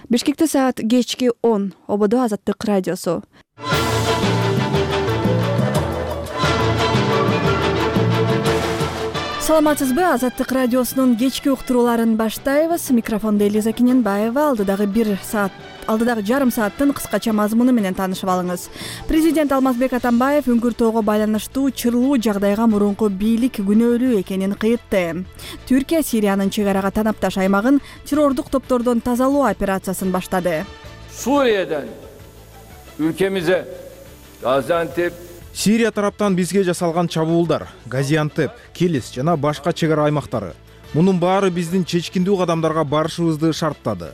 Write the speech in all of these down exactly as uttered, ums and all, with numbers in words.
Бишкекте саат кечки он. Ободо Азаттык радиосу. Саламатсызбы? Азаттык радиосунун кечки уктурууларын баштайбыз. Микрофондо Элиза Кененбаева. Алдыдагы бир саат алдыдагы жарым сааттын кыскача мазмуну менен таанышып алыңыз. Президент Алмазбек Атамбаев Үңкүр тоого байланыштуу чырлуу жагдайга мурунку бийлик күнөөлүү экенин кыйтты. Түркия Сириянын чек арага танапташ аймагын террордук топтордон тазалоо операциясын баштады. Suriye'den ülkemize Gaziantep Сирия тараптан бизге жасалган чабуулдар, Газиантеп, Келис жана башка чек ара аймактары. Мунун баары биздин чечкиндүү кадамдарга барышыбызды шарттады.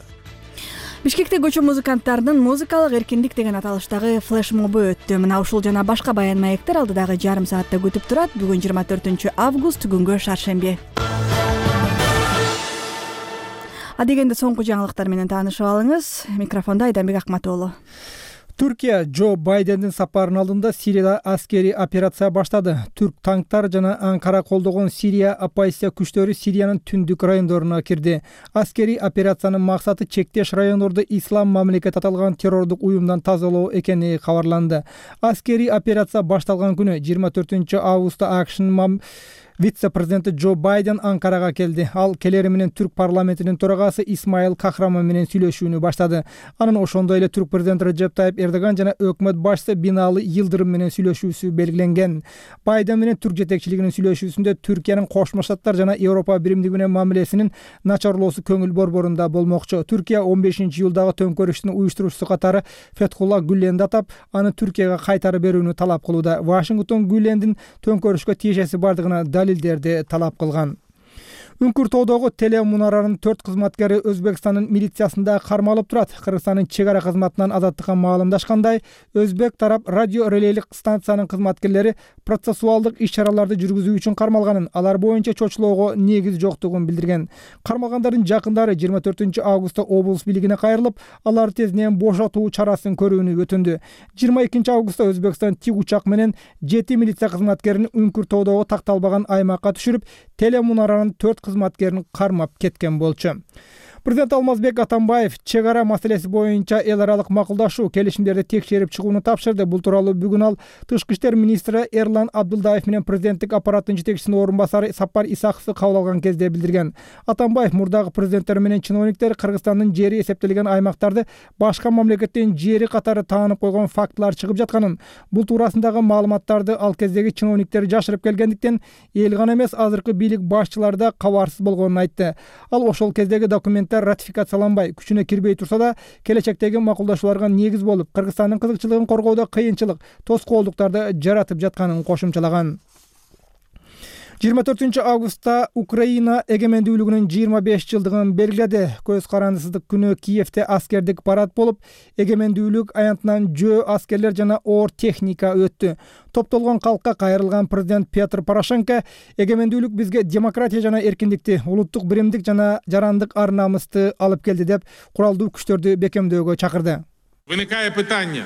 Бишкекте көчө музыканттарынын музыкалык эркиндик деген аталыштагы флешмобу өттү. Мына ушул жана башка баян маектер алдыдагы жарым саатта күтүп турат. Бүгүн жыйырма төртүнчү август, күнгө шаршемби. Адегенде соңку жаңылыктар менен таанышып алыңыз. Микрофондо Айданбек Акматоолу. Түркия Джо Байдендин сапарынын алдында Сирияда аскерий операция баштады. Түрк танктар жана Анкара колдогон Сирия оппозиция күчтөрү Сириянын түндүк райондоруна кирди. Аскерий операциянын максаты чектеш райондорду ислам мамлекет аталган террордук уюмдан тазалоо экени кабарланды. Аскерий операция башталган күнү жыйырма төртүнчү августта АКШнын вице-президенти Джо Байден Анкарага келди. Ал келери менен Түрк парламентинин төрагасы Исмаил Кахраман менен сүйлөшүүнү баштады. Анын ошондой эле Түрк президенти Реджеп Тайип Эрдоган жана өкмөт башчысы Бинали Йылдырым менен сүйлөшүүсү белгиленген. Байден менен Түрк жетекчилигинин сүйлөшүүсүндө Түркиянын Кошмо Штаттар жана Европа биримдиги менен мамилесинин начарлоосу көңүл борборунда болмокчу. Түркия он бешинчи июлдагы төңкөрүштүн уюштуруучусу катары Фетхулла Гүленди атап, аны Түркияга кайтарып берүүнү талап кылууда. Вашингтон Гүлендин төңкөрүшкө тиешеси бардыгына далилдерди талап кылган. Үңкүр тоодогу телемунаранын төрт кызматкери Өзбекстандын милициясында кармалып турат. Кыргызстандын чек ара кызматынан азаттыкка маалымдашкандай, өзбек тарап радио релейлик станциянын кызматкерлери процессуалдык иш-чараларды жүргүзүү үчүн кармалганын, алар боюнча чочулоого негиз жоктугун билдирген. Кармалгандардын жакындары жыйырма төртүнчү августта облус бийлигине кайрылып, алар тезинен бошотуу чарасын көрүүнү өтүндү. жыйырма экинчи августта Өзбекстан тик учак менен жети милиция кызматкерин Үңкүр тоодогу такталбаган аймакка түшүрүп, телемунаранын төрт кызматкерин кармап кеткен болчу. Президент Алмазбек Атамбаев чек ара маселеси боюнча эл аралык макулдашуу келишимдерди текшерип чыгууну тапшырды. Бул тууралуу бүгүн ал Тышкы иштер министри Эрлан Абдулдаев менен президенттик аппараттын жетекчисинин орун басары Сапар Исаковду кабыл алган кезде билдирген. Атамбаев мурдагы президенттер менен чиновниктер Кыргызстандын жери эсептелген аймактарды башка мамлекеттин жери катары таанып койгон фактылар чыгып жатканын, бул туурасындагы маалыматтарды ал кездеги чиновниктер жашырып келгендиктен эл гана эмес азыркы бийлик башчылары да кабарсыз болгонун айтты. Ал ошол кездеги документтер ратификацияланбай, күчүнө кирбей турса да, келечектеги макулдашууларга негиз болуп, Кыргызстандын кызыкчылыгын коргоодо кыйынчылык, тоскоолдуктарды жаратып жатканын кошумчалаган. жыйырма төртүнчү августта Украина эгемендүүлүгүнүн жыйырма беш жылдыгын белгиледи. Көз карандысыздык күнү Киевде аскердик парад болуп, эгемендүүлүк аянтынан жөө аскерлер жана оор техника өттү. Топтолгон калкка кайрылган президент Петр Порошенко эгемендүүлүк бизге демократия жана эркиндикти, улуттук биримдик жана жарандык ар-намысты алып келди деп куралдуу күчтөрдү бекемдөөгө чакырды. Виникае питание: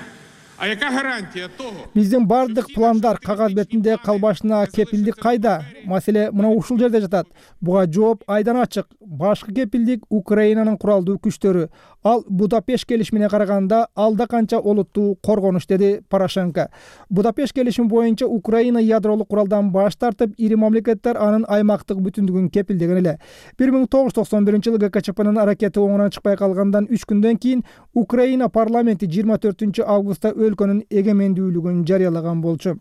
а яка гарантия того? Биздин бардык пландар кагаз бетинде калбашына кепилдик кайда? Маселе мына ушул жерде жатат. Буга жооп айдан ачык. Башкы кепилдик Украинанын куралдуу күчтөрү. Ал Будапешт келишимине караганда алда канча олуттуу коргонуш, деди Порошенко. Будапешт келишими боюнча Украина ядролук куралдан баш тартып, ири мамлекеттер анын аймактык бүтүндүгүн кепилдеген эле. бир миң тогуз жүз токсон биринчи жылы ГКЧПнын аракети оңунан чыкпай калгандан үч күндөн кийин Украина парламенти жыйырма төртүнчү августта өлкөнүн эгемендүүлүгүн жарыялаган болчу.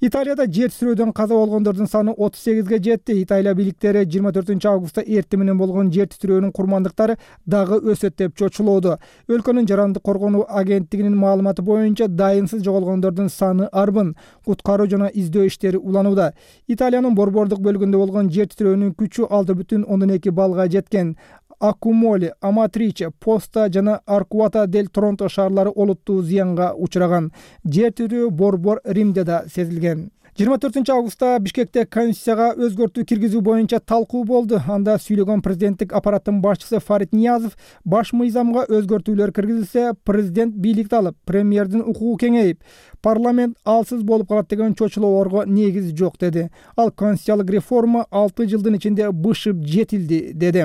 Италияда жер титирөөдөн каза болгондордун саны отуз сегизге жетти. Италия бийликтери жыйырма төртүнчү августта эртең менен болгон жер титирөөнүн курмандыктары дагы өсөт деп чочулоодо. Өлкөнүн жарандык коргонуу агенттигинин маалыматы боюнча дайынсыз жоголгондордун саны арбын. Куткаруу жана издөө иштери уланууда. Италиянын борбордук бөлүгүндө болгон жер титирөөнүн күчү алты бүтүн ондон эки баллга жеткен. Аккумоли, Аматриче, Поста жана Аркуата дель Торонто шаарлары олуттуу зыянга учураган. Жер титирөө борбор Римде да сезилген. жыйырма төртүнчү августта Бишкекте Конституцияга өзгөртүү киргизүү боюнча талкуу болду. Анда сүйлөгөн президенттик аппараттын башчысы Фарид Ниязов баш мыйзамга өзгөртүүлөр киргизилсе, президент бийликти алып, премьердин укугу кеңейип, парламент алсыз болуп калат деген чочулоолорго негиз жок деди. Ал конституциялык реформа алты жылдын ичинде бышып жетилди деди.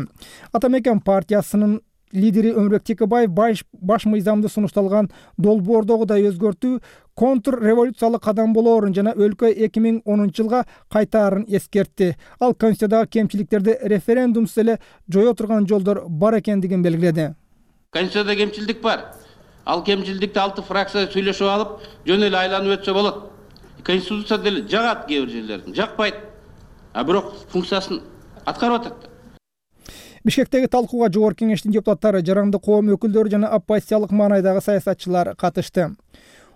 Атамекен партиясынын лидери Өмүрбек Текебаев баш мыйзамды сунушталган долбоордогудай өзгөртүү контрреволюциялык кадам болоорун жана өлкө эки миң онунчу жылга кайтаарын эскертти. Ал конституциядагы кемчиликтерди референдумсуз эле жое турган жолдор бар экендигин белгиледи. Конституцияда кемчилдик бар. Ал кемчилдикти алты фракция сүйлөшүп алып, жөн эле айланып өтсө болот. Конституция деле жагат кээ бир жерлерин, жакпайт. А бирок функциясын аткарып атат. Бишкектеги талкууга Жогорку Кеңештин депутаттары, жарандык коом өкүлдөрү жана оппозициялык маанайдагы саясатчылар катышты.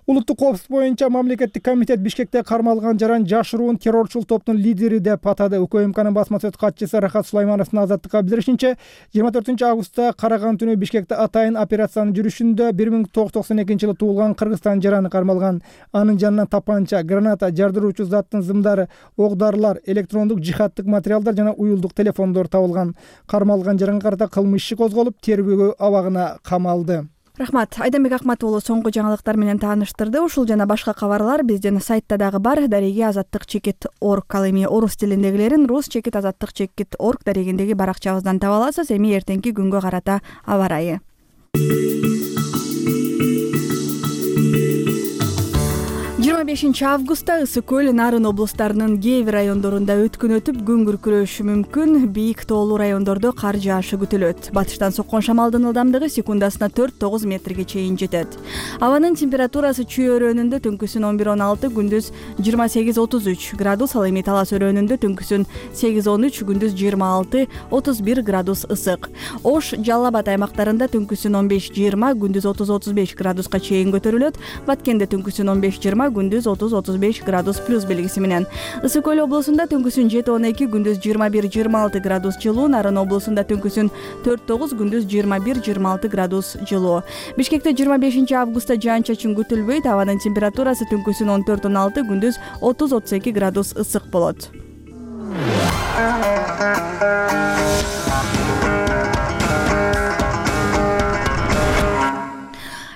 Улуттук коопсуздук боюнча мамлекеттик комитет Бишкекте кармалган жаран жашыруун террорчул топтун лидери деп атады. УКМКнын басма сөз катчысы Рахат Сулаймановдун Азаттыкка билдиришинче, жыйырма төртүнчү августта караган түнү Бишкекте атайын операциянын жүрүшүндө бир миң тогуз жүз токсон экинчи жылы туулган Кыргызстан жараны кармалган. Анын жанынан тапанча, граната, жардыруучу заттын зымдары, ок-дарылар, электрондук жихадтык материалдар жана уюлдук телефондор табылган. Кармалган жаранга карата кылмыш иши козголуп, тергөө абагына камалды. Рахмат. Айданбек Акмат уулу соңку жаңылыктар менен тааныштырды. Ушул жана башка кабарлар биздин сайтта дагы бар. Дареги азаттык чекит орг. Ал эми орус тилиндегилерин рус чекит азаттык чекит орг дарегиндеги баракчабыздан таба аласыз. Эми эртеңки күнгө карата аба ырайы. жыйырма бешинчи августта Ысык көл, Нарын облустарынын кээ бир райондорунда өткөн өтүп, күн күркүрөшү мүмкүн. Бийик тоолуу райондордо кар жаашы күтүлөт. Батыштан соккон шамалдын ылдамдыгы секундасына төрт тогуз метрге чейин жетет. Абанын температурасы Чүй өрөөнүндө түнкүсүн он бир он алты, күндүз жыйырма сегиз отуз үч градус, ал эми Талас өрөөнүндө түнкүсүн сегиз он үч, күндүз жыйырма алты отуз бир градус ысык. Ош, Жалал Абад аймактарында түнкүсүн он беш жыйырма, күндүз отуз отуз беш градуска чейин көтөрүлөт. Баткенде түнкүсүн он беш жыйырма, күндүз отуз отуз беш градус плюс белгиси менен. Ысык көл облусунда түнкүсүн жети он эки, күндүз жыйырма бир жыйырма алты градус жылуу. Нарын облусунда түнкүсүн төрт тогуз, күндүз жыйырма бир жыйырма алты градус жылуу. Бишкекте жыйырма бешинчи августта жаан-чачын күтүлбөйт. Абанын температурасы түнкүсүн он төрт он алты, күндүз отуз отуз эки градус ысык болот.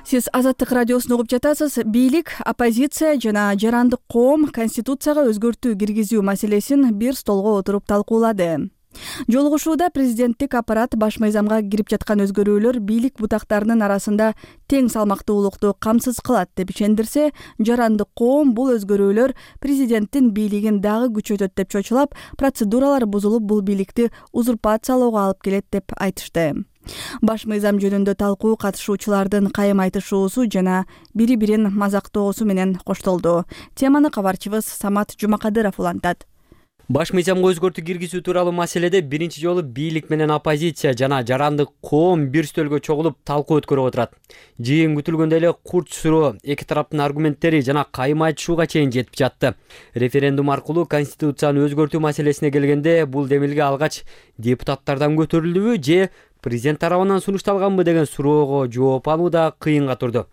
Сиз Азаттык радиосун угуп жатасыз. Бийлик, оппозиция жана жарандык коом Конституцияга өзгөртүү киргизүү маселесин бир столго отуруп талкуулады. Жолугушууда президенттик аппарат баш мыйзамга кирип жаткан өзгөрүүлөр бийлик бутактарынын арасында тең салмактуулукту камсыз кылат деп ишендирсе, жарандык коом бул өзгөрүүлөр президенттин бийлигин дагы күчөтөт деп чочулап, процедуралар бузулуп, бул бийликти узурпациялоого алып келет деп айтышты. Баш мыйзам жөнүндө талкуу катышуучулардын кайым айтышуусу жана бири-бирин мазактоосу менен коштолду. Теманы кабарчыбыз Самат Жумакадыров улантат. Баш мыйзамга өзгөртүү киргизүү тууралуу маселеде биринчи жолу бийлик менен оппозиция жана жарандык коом бир стөлгө чогулуп талкуу өткөрүп отурат. Жыйын күтүлгөндөй эле курч суроо, эки тараптын аргументтери жана кайым айтышууга чейин жетип жатты. Референдум аркылуу Конституцияны өзгөртүү маселесине келгенде бул демилге алгач депутаттардан көтөрүлдүбү же президент тарабынан сунушталганбы деген суроого жооп алуу да кыйынга турду.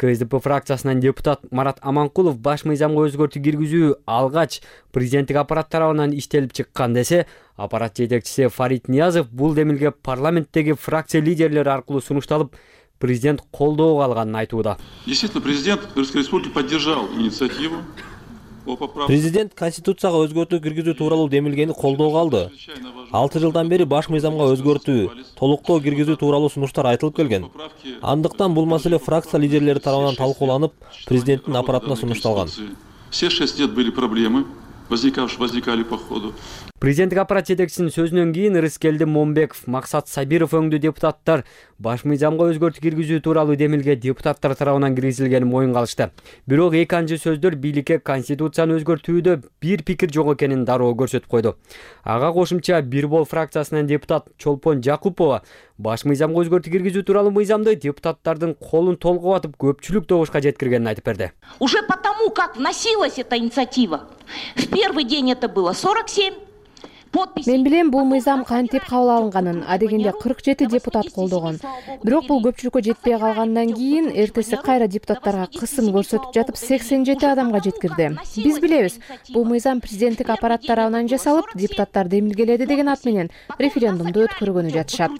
КСДП фракциясынан депутат Марат Аманкулов баш мыйзамга өзгөртүү киргизүү алгач президенттик аппарат тарабынан иштелип чыккан десе, аппарат жетекчиси Фарид Ниязов бул демилге парламенттеги фракция лидерлери аркылуу сунушталып, президент колдоого алганын айтууда. Действительно, президент Кыргызской республики поддержал инициативу. Президент Конституцияга өзгөртүү киргизүү тууралуу демилгени колдоого алды. алты жылдан бери баш мыйзамга өзгөртүү, толуктоо киргизүү тууралуу сунуштар айтылып келген. Андыктан бул маселе фракция лидерлери тарабынан талкууланып, президенттин аппаратына сунушталган. Все шесть лет были проблемы, возникали по ходу. Президенттик аппарат жетекчисинин сөзүнөн кийин Рыскелди Момбеков, Максат Сабиров өңдүү депутаттар баш мыйзамга өзгөртүү киргизүү тууралуу демилге депутаттар тарабынан киргизилгенин моюнга алышты. Бирок эки анчы сөздөр бийликке Конституцияны өзгөртүүдө бир пикир жок экенин дароо көрсөтүп койду. Ага кошумча Бир бол фракциясынан депутат Чолпон Жакупова баш мыйзамга өзгөртүү киргизүү тууралуу мыйзамды депутаттардын колун толгоп атып көпчүлүк добушка жеткиргенин айтып берди. Уже потому, как вносилась эта инициатива, в первый день это было сорок семь. Мен билем бул мыйзам кантип кабыл алынганын, адегенде кырк жети депутат колдогон. Бирок бул көпчүлүккө жетпей калгандан кийин эртеси кайра депутаттарга кысым көрсөтүп жатып сексен жети адамга жеткирди. Биз билебиз, бул мыйзам президенттик аппарат тарабынан жасалып, депутаттар демилгеледи деген ат менен референдумду өткөргөнү жатышат.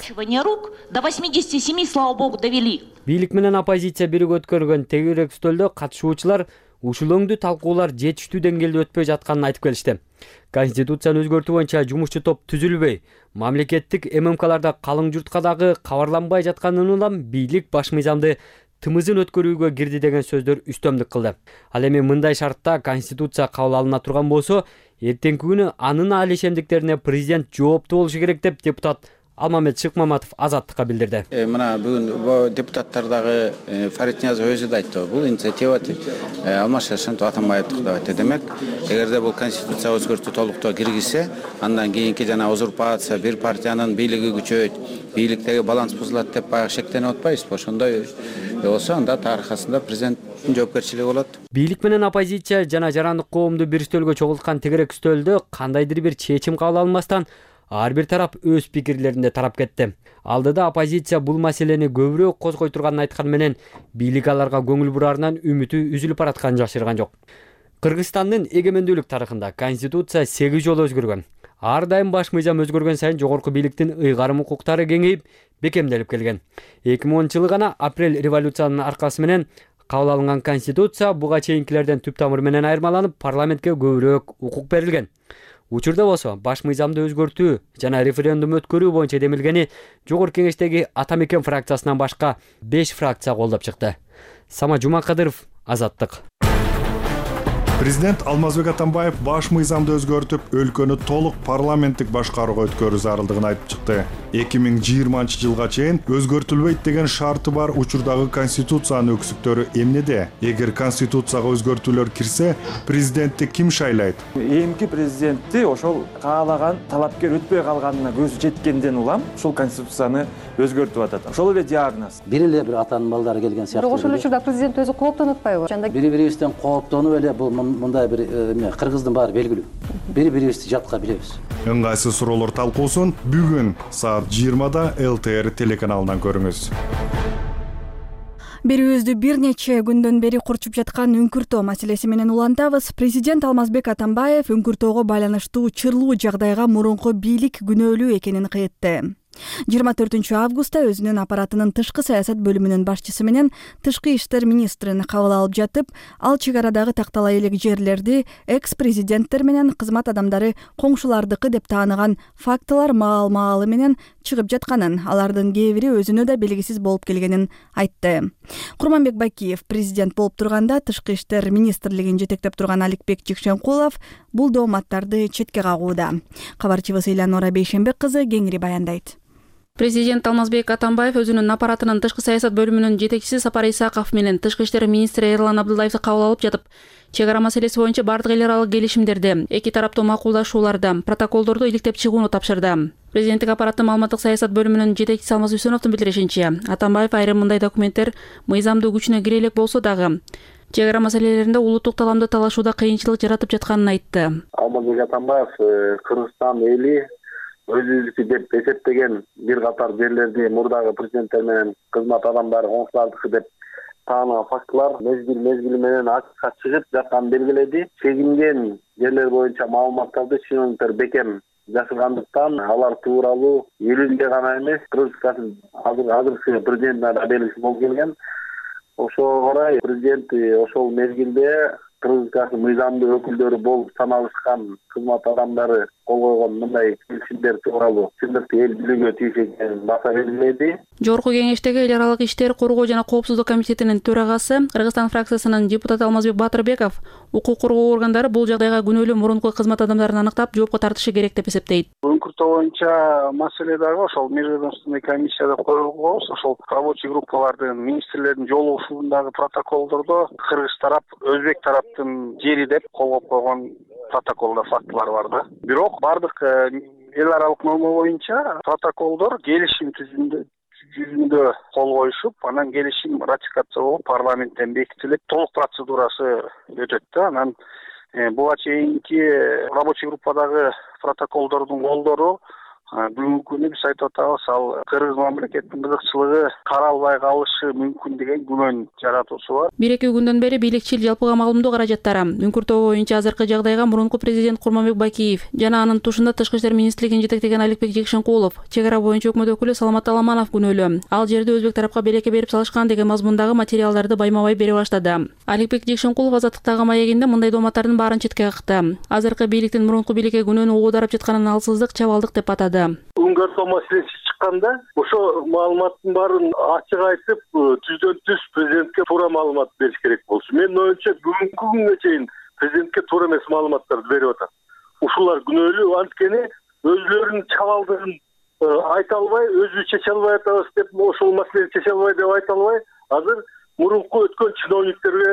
До восьмидесяти семи, слава богу, довели. Бийлик менен оппозиция биригип өткөргөн тегерек стөлдө катышуучулар ушул өңдүү талкуулар жетиштүү деңгээлде өтпөй жатканын айтып келишти. Конституцияны өзгөртүү боюнча жумушчу топ түзүлбөй, мамлекеттик эм эм каларда калың журтка дагы кабарланбай жатканын улам бийлик баш мыйзамды тымызын өткөрүүгө кирди деген сөздөр үстөмдүк кылды. Ал эми мындай шартта Конституция кабыл алына турган болсо, эртеңки күнү анын али ишемдиктерине президент жооптуу болушу керек деп депутат Алмамет Шыкмаматов Азаттыкка билдирди. Мына бүгүн депутаттар дагы Фарид Ниязов өзү да айтты. Бул инициатива Алмаз Шаршентип Атамбаевдики деп айтты. Демек, эгерде бул конституция өзгөртүү толуктоо киргизсе, андан кийинки жана узурпация, бир партиянын бийлиги күчөйт, бийликтеги баланс бузулат деп баягы шектенип атпайбызбы? Ошондой болсо, анда тарыхасында президенттин жоопкерчилиги болот. Бийлик менен оппозиция жана жарандык коомду бир стөлгө чогулткан тегерек стөлдө кандайдыр бир чечим кабыл алынбастан ар бир тарап өз пикирлеринде тарап кетти. Алдыда оппозиция бул маселени көбүрөөк козгой турганын айткан менен бийлик аларга көңүл бурарынан үмүтү үзүлүп баратканын жашырган жок. Кыргызстандын эгемендүүлүк тарыхында Конституция сегиз жолу өзгөргөн. Ар дайым баш мыйзам өзгөргөн сайын жогорку бийликтин ыйгарым укуктары кеңейип, бекемделип келген. эки миң онунчу жылы гана апрель революциянын аркасы менен кабыл алынган Конституция буга чейинкилерден түп тамыры менен айырмаланып, парламентке көбүрөөк укук берилген. Учурда болсо баш мыйзамды өзгөртүү жана референдум өткөрүү боюнча демилгени Жогорку Кеңештеги Ата Мекен фракциясынан башка беш фракция колдоп чыкты. Сама Жумакадыров, Азаттык. Президент Алмазбек Атамбаев баш мыйзамды өзгөртүп, өлкөнү толук парламенттик башкарууга өткөрүү зарылдыгын айтып чыкты. эки миң жыйырманчы жылга чейин өзгөртүлбөйт деген шарты бар учурдагы конституциянын өксүктөрү эмнеде? Эгер конституцияга өзгөртүүлөр кирсе, президентти ким шайлайт? Эмки президентти ошол каалаган талапкер өтпөй калганына көзү жеткенден улам ушул конституцияны өзгөртүп атат. Ошол эле диагноз. Бир эле бир атанын балдары келген сыяктуу. Бирок ошол учурда президент өзү кооптонуп атпайбы? Бири-бирибизден кооптонуп эле бул мындай бир эмне кыргыздын баары белгилүү. Бири-бирибизди жатка билебиз. Ыңгайсыз суроолор талкуусун бүгүн саат жыйырмада эл тэ эр телеканалынан көрүңүз. Берүүбүздү бир нече күндөн бери курчуп жаткан үңкүртөө маселеси менен улантабыз. Президент Алмазбек Атамбаев үңкүртөөгө байланыштуу чырлуу жагдайга мурунку бийлик күнөөлүү экенин кыйтты. жыйырма төртүнчү августта өзүнүн аппаратынын тышкы саясат бөлүмүнүн башчысы менен тышкы иштер министрин кабыл алып жатып, ал чек арадагы тактала элек жерлерди экс-президенттер менен кызмат адамдары коңшулардыкы деп тааныган фактылар маал-маалы менен чыгып жатканын, алардын кээ бири өзүнө да белгисиз болуп келгенин айтты. Курманбек Бакиев президент болуп турганда тышкы иштер министрлигин жетектеп турган Аликбек Жекшенкулов бул дооматтарды четке кагууда. Кабарчыбыз Элянора Бейшенбек кызы кеңири баяндайт. Президент Алмазбек Атамбаев өзүнүн аппаратынын тышкы саясат бөлүмүнүн жетекчиси Сапар Исаков менен тышкы иштер министри Эрлан Абдуллаевди кабыл алып жатып, чек ара маселеси боюнча бардык эл аралык келишимдерди, эки тараптуу макулдашууларды, протоколдорду иликтеп чыгууну тапшырды. Президенттик аппараттын маалыматтык саясат бөлүмүнүн жетекчиси Алмаз Үсөновдун билдиришинче, Атамбаев айрым мындай документтер мыйзамдуу күчүнө кире элек болсо дагы чек ара маселелеринде улуттук таламды талашууда кыйынчылык жаратып жатканын айтты. Алмазбек Атамбаев Кыргызстан эли өзүнүкү деп эсептеген бир катар жерлерди мурдагы президенттер менен кызмат адамдары коңшулардыкы деп таанаган фактылар мезгил мезгили менен ачыкка чыгып жатканын белгиледи. Чегинген жерлер боюнча маалыматтарды чиновниктер бекем жашыргандыктан алар тууралуу элинде гана эмес, Кыргызстандын азыркы президентине да белгисиз болуп келген. Ошого орай президент ошол мезгилде Кыргызстандын мыйзамдуу өкүлдөрү болуп саналышкан кызмат адамдары кол койгон мындай келишимдер тууралуу чындыкты эл билүүгө тийиш экенин баса белгиледи. Жогорку Кеңештеги эл аралык иштер, коргоо жана коопсуздук комитетинин төрагасы, Кыргызстан фракциясынын депутаты Алмазбек Батырбеков укук коргоо органдары бул жагдайга күнөөлүү мурунку кызмат адамдарын аныктап, жоопко тартышы керек деп эсептейт. Үңкүртөө боюнча маселе дагы ошол межведомственный комиссияда коюлгон, ошол рабочий группалардын, министрлердин жолугушуулундагы протоколдордо кыргыз тарап, өзбек тараптын жери деп колгоп койгон протоколдо фактылар бар да. Бирок бардык эл аралык норма боюнча протоколдор келишим түзүндө жүзүндө кол коюшуп, анан келишим ратификация болуп парламенттен бекитилип, толук процедурасы өтөт да. Анан буга чейинки рабочий группадагы протоколдордун колдору бүгүнкү күнү биз айтып атабыз, ал кыргыз мамлекетинин кызыкчылыгы каралбай калышы мүмкүн деген күмөн жаратуусу бар. Бир-эки күндөн бери бийликчил жалпыга маалымдоо каражаттары үңкүртөө боюнча азыркы жагдайга мурунку президент Курманбек Бакиев жана анын тушунда тышкы иштер министрлигин жетектеген Аликбек Жекшенкулов, чек ара боюнча өкмөт өкүлү Саламат Аламанов күнөөлүү. Ал жерди өзбек тарапка белекке берип салышкан деген мазмундагы материалдарды байма-бай бере баштады. Аликбек Жекшенкулов Азаттыктагы маегинде мындай дооматтардын баарын четке какты. Азыркы бийликтин мурунку бийликке күнөөнү оодарып жатканын алсыздык, чабалдык деп атады. Үңгөртөө маселеси чыкканда ошо маалыматтын баарын ачык айтып, түздөн түз президентке туура маалымат бериш керек болчу. Менин оюмча бүгүнкү күнгө чейин президентке туура эмес маалыматтарды берип атат. Ушулар күнөөлүү, анткени өзлөрүнүн чабалдыгын айта албай, өзү чече албай атабыз деп, ошол маселени чече албай деп айта албай, азыр мурунку өткөн чиновниктерге,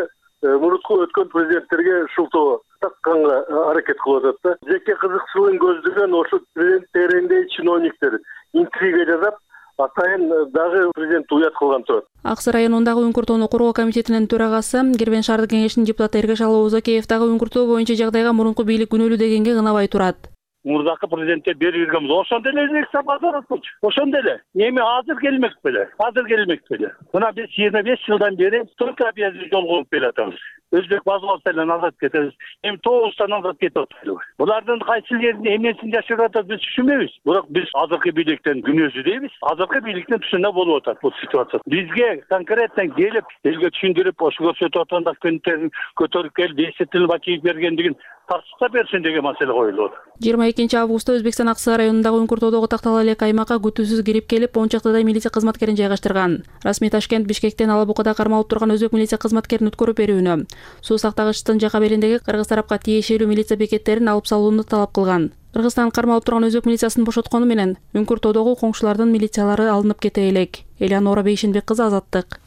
мурунку өткөн президенттерге шылтоо такканга аракет кылып атат да. Жеке кызыкчылыгын көздөгөн ошо президент тегерегиндеги чиновниктер интрига жасап, атайын дагы президентти уят кылган турат. Ак Сай районундагы Үңкүртөөнү коргоо комитетинин төрагасы, Кербен шаардык кеңешинин депутаты Эргешалы Озокеев дагы Үңкүртөө боюнча жагдайга мурунку бийлик күнөөлүү дегенге ынабай турат. Мурдакы президентке берип бергенбиз. Ошондо эле элек базар болчу. Ошондо эле. Эми азыр келмек беле. Азыр келмек беле. Мына биз жыйырма беш жылдан бери только объезди жол кылып келатабыз. Өзбек базаларынан азат кетебиз. Эми тогуздан азат кетип атпайбы? Булардын кайсы жеринде эмнесин жашырып атат биз түшүнбөйбүз. Бирок биз азыркы бийликтен күнөөсү дейбиз. Азыркы бийликтин түшүнө болуп атат бул ситуация. Бизге конкреттен келип, элге түшүндүрүп, ошо көрсөтүп атканда күнтөрүн көтөрүп келип, эсептелип ачып бергендигин тартышта берсин деген маселе коюлуп атат. жыйырма экинчи августта Өзбекстан Ак Сай районундагы Үңкүртөдөгү тактала элек аймакка күтүүсүз кирип келип, он чактыдай милиция кызматкерин жайгаштырган. Расмий Ташкент Бишкектен Алабукада кармалып турган өзбек милиция кызматкерин өткөрүп берүүнү, суу сактагычтын жака белиндеги кыргыз тарапка тиешелүү милиция бекеттерин алып салууну талап кылган. Кыргызстан кармалып турган өзбек милициясын бошоткону менен Үңкүртөдөгү коңшулардын милициялары алынып кете элек. Элеонора Бейшенбек кызы, Азаттык.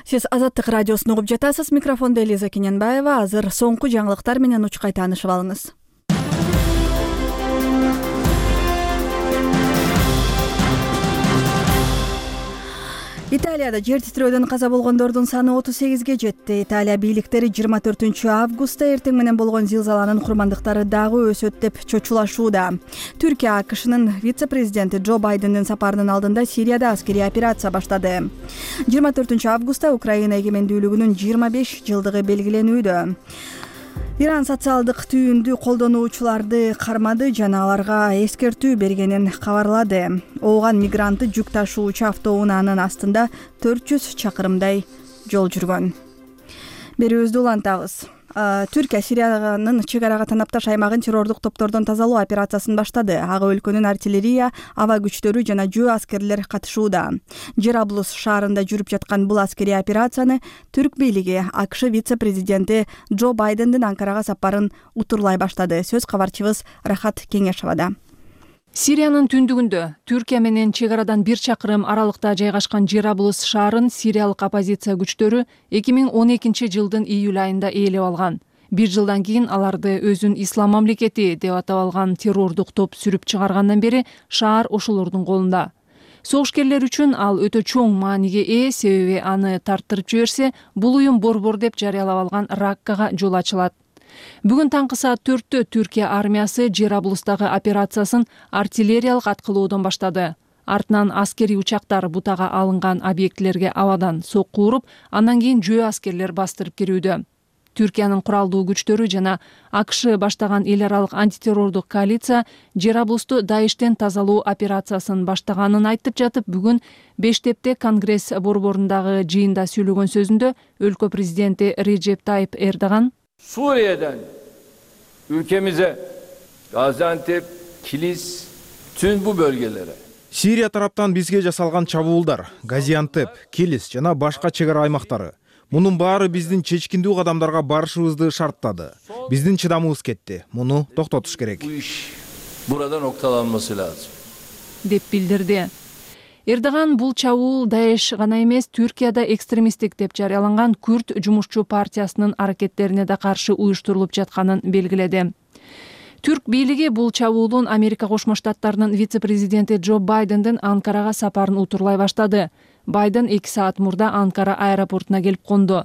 Сиз Азаттык радиосун угуп жатасыз. Микрофондо Элиза Кененбаева. Азыр соңку жаңылыктар менен учкай таанышып алыңыз. Италияда жер титирөөдөн каза болгондордун саны отуз сегизге жетти. Италия бийликтери жыйырма төртүнчү августта эртең менен болгон зилзаланын курмандыктары дагы өсөт деп чочулашууда. Түркия АКШнын вице-президенти Джо Байдендин сапарынын алдында Сирияда аскерий операция баштады. жыйырма төртүнчү августта Украина эгемендүүлүгүнүн жыйырма беш жылдыгы белгиленүүдө. Иран социалдык түйүндү колдонуучуларды кармады жана аларга эскертүү бергенин кабарлады. Ооган мигранты жүк ташуучу автоунаанын астында төрт жүз чакырымдай жол жүргөн. Берүүбүздү улантабыз. Түркия Сириянын чек арага танапташ аймагын террордук топтордон тазалоо операциясын баштады. Ага өлкөнүн артиллерия, аба күчтөрү жана жөө аскерлер катышууда. Жераблус шаарында жүрүп жаткан бул аскерий операцияны түрк бийлиги АКШ вице-президенти Джо Байдендин Анкарага сапарын утурлай баштады. Сөз кабарчыбыз Рахат Кеңешовада. Сириянын түндүгүндө Түркия менен чек арадан бир чакырым аралыкта жайгашкан Жераблус шаарын сириялык оппозиция күчтөрү эки миң он экинчи жылдын июль айында ээлеп алган. Бир жылдан кийин аларды өзүн Ислам мамлекети деп атап алган террордук топ сүрүп чыгаргандан бери шаар ошолордун колунда. Согушкерлер үчүн ал өтө чоң мааниге ээ, себеби аны тарттырып жиберсе, бул уюм борбор деп жарыялап алган Раккага жол ачылат. Бүгүн таңкы саат төрттө Түркия армиясы Жераблустагы операциясын артиллериялык аткылоодон баштады. Артынан аскерий учактар бутага алынган объектилерге абадан сокку уруп, андан кийин жөө аскерлер бастырып кирүүдө. Түркиянын куралдуу күчтөрү жана АКШ баштаган эл аралык антитеррордук коалиция Жераблусту Даиштен тазалоо операциясын баштаганын айтып жатып, бүгүн Бештепте Конгресс борборундагы жыйында сүйлөгөн сөзүндө өлкө президенти Реджеп Тайып Эрдоган Suriye'den ülkemize Gaziantep, Kilis, tüm bu bölgelere. Сирия тараптан бизге жасалган чабуулдар, Газиантеп, Килис жана башка чек ара аймактары. Мунун баары биздин чечкиндүү кадамдарга барышыбызды шарттады. Биздин чыдамыбыз кетти. Муну токтотуш керек. Bu iş burada noktalanması lazım. деп билдирди. Эрдоган бул чабуул Даеш гана эмес, Түркияда экстремисттик деп жарыяланган Күрд жумушчу партиясынын аракеттерине да каршы уюштурулуп жатканын белгиледи. Түрк бийлиги бул чабуулун Америка Кошмо Штаттарынын вице-президенти Джо Байдендин Анкарага сапарын утурлай баштады. Байден эки саат мурда Анкара аэропортуна келип конду.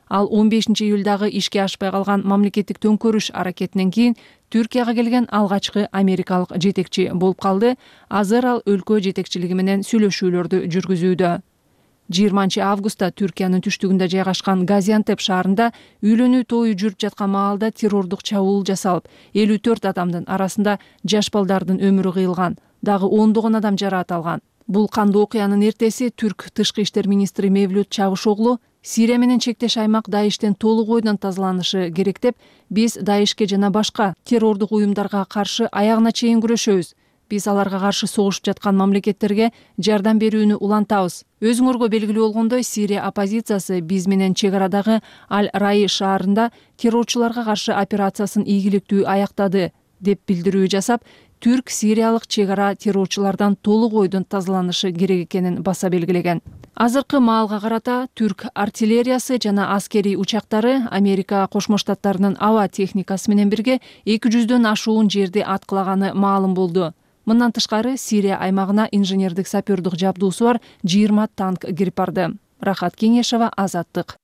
Ал он бешинчи июлдагы ишке ашпай калган мамлекеттик төңкөрүш аракетинен кийин Түркияга келген алгачкы америкалык жетекчи болуп калды. Азыр ал өлкө жетекчилиги менен сүйлөшүүлөрдү жүргүзүүдө. жыйырманчы августта Түркиянын түштүгүндө жайгашкан Газиантеп шаарында үйлөнүү тою жүрүп жаткан маалда террордук чабуул жасалып, элүү төрт адамдын арасында жаш балдардын өмүрү кыйылган, дагы ондогон адам жараат алган. Бул кандуу окуянын эртеси түрк тышкы иштер министри Мевлют Чавушоглу Сирия менен чектеш аймак Даиштен толук ойдон тазаланышы керек деп, биз Даишке жана башка террордук уюмдарга каршы аягына чейин күрөшөбүз. Биз аларга каршы согушуп жаткан мамлекеттерге жардам берүүнү улантабыз. Өзүңөргө белгилүү болгондой, Сирия оппозициясы биз менен чек арадагы Аль-Раи шаарында террорчуларга каршы операциясын ийгиликтүү аяктады деп билдирүү жасап, түрк-сириялык чек ара террорчулардан толук ойдон тазаланышы керек экенин баса белгилеген. Азыркы маалга карата түрк артиллериясы жана аскерий учактары Америка Кошмо Штаттарынын аба техникасы менен бирге эки жүздөн ашуун жерди аткылаганы маалым болду. Мындан тышкары Сирия аймагына инженердик сапёрдук жабдуусу бар жыйырма танк кирип барды. Рахат Кеңешова, Азаттык.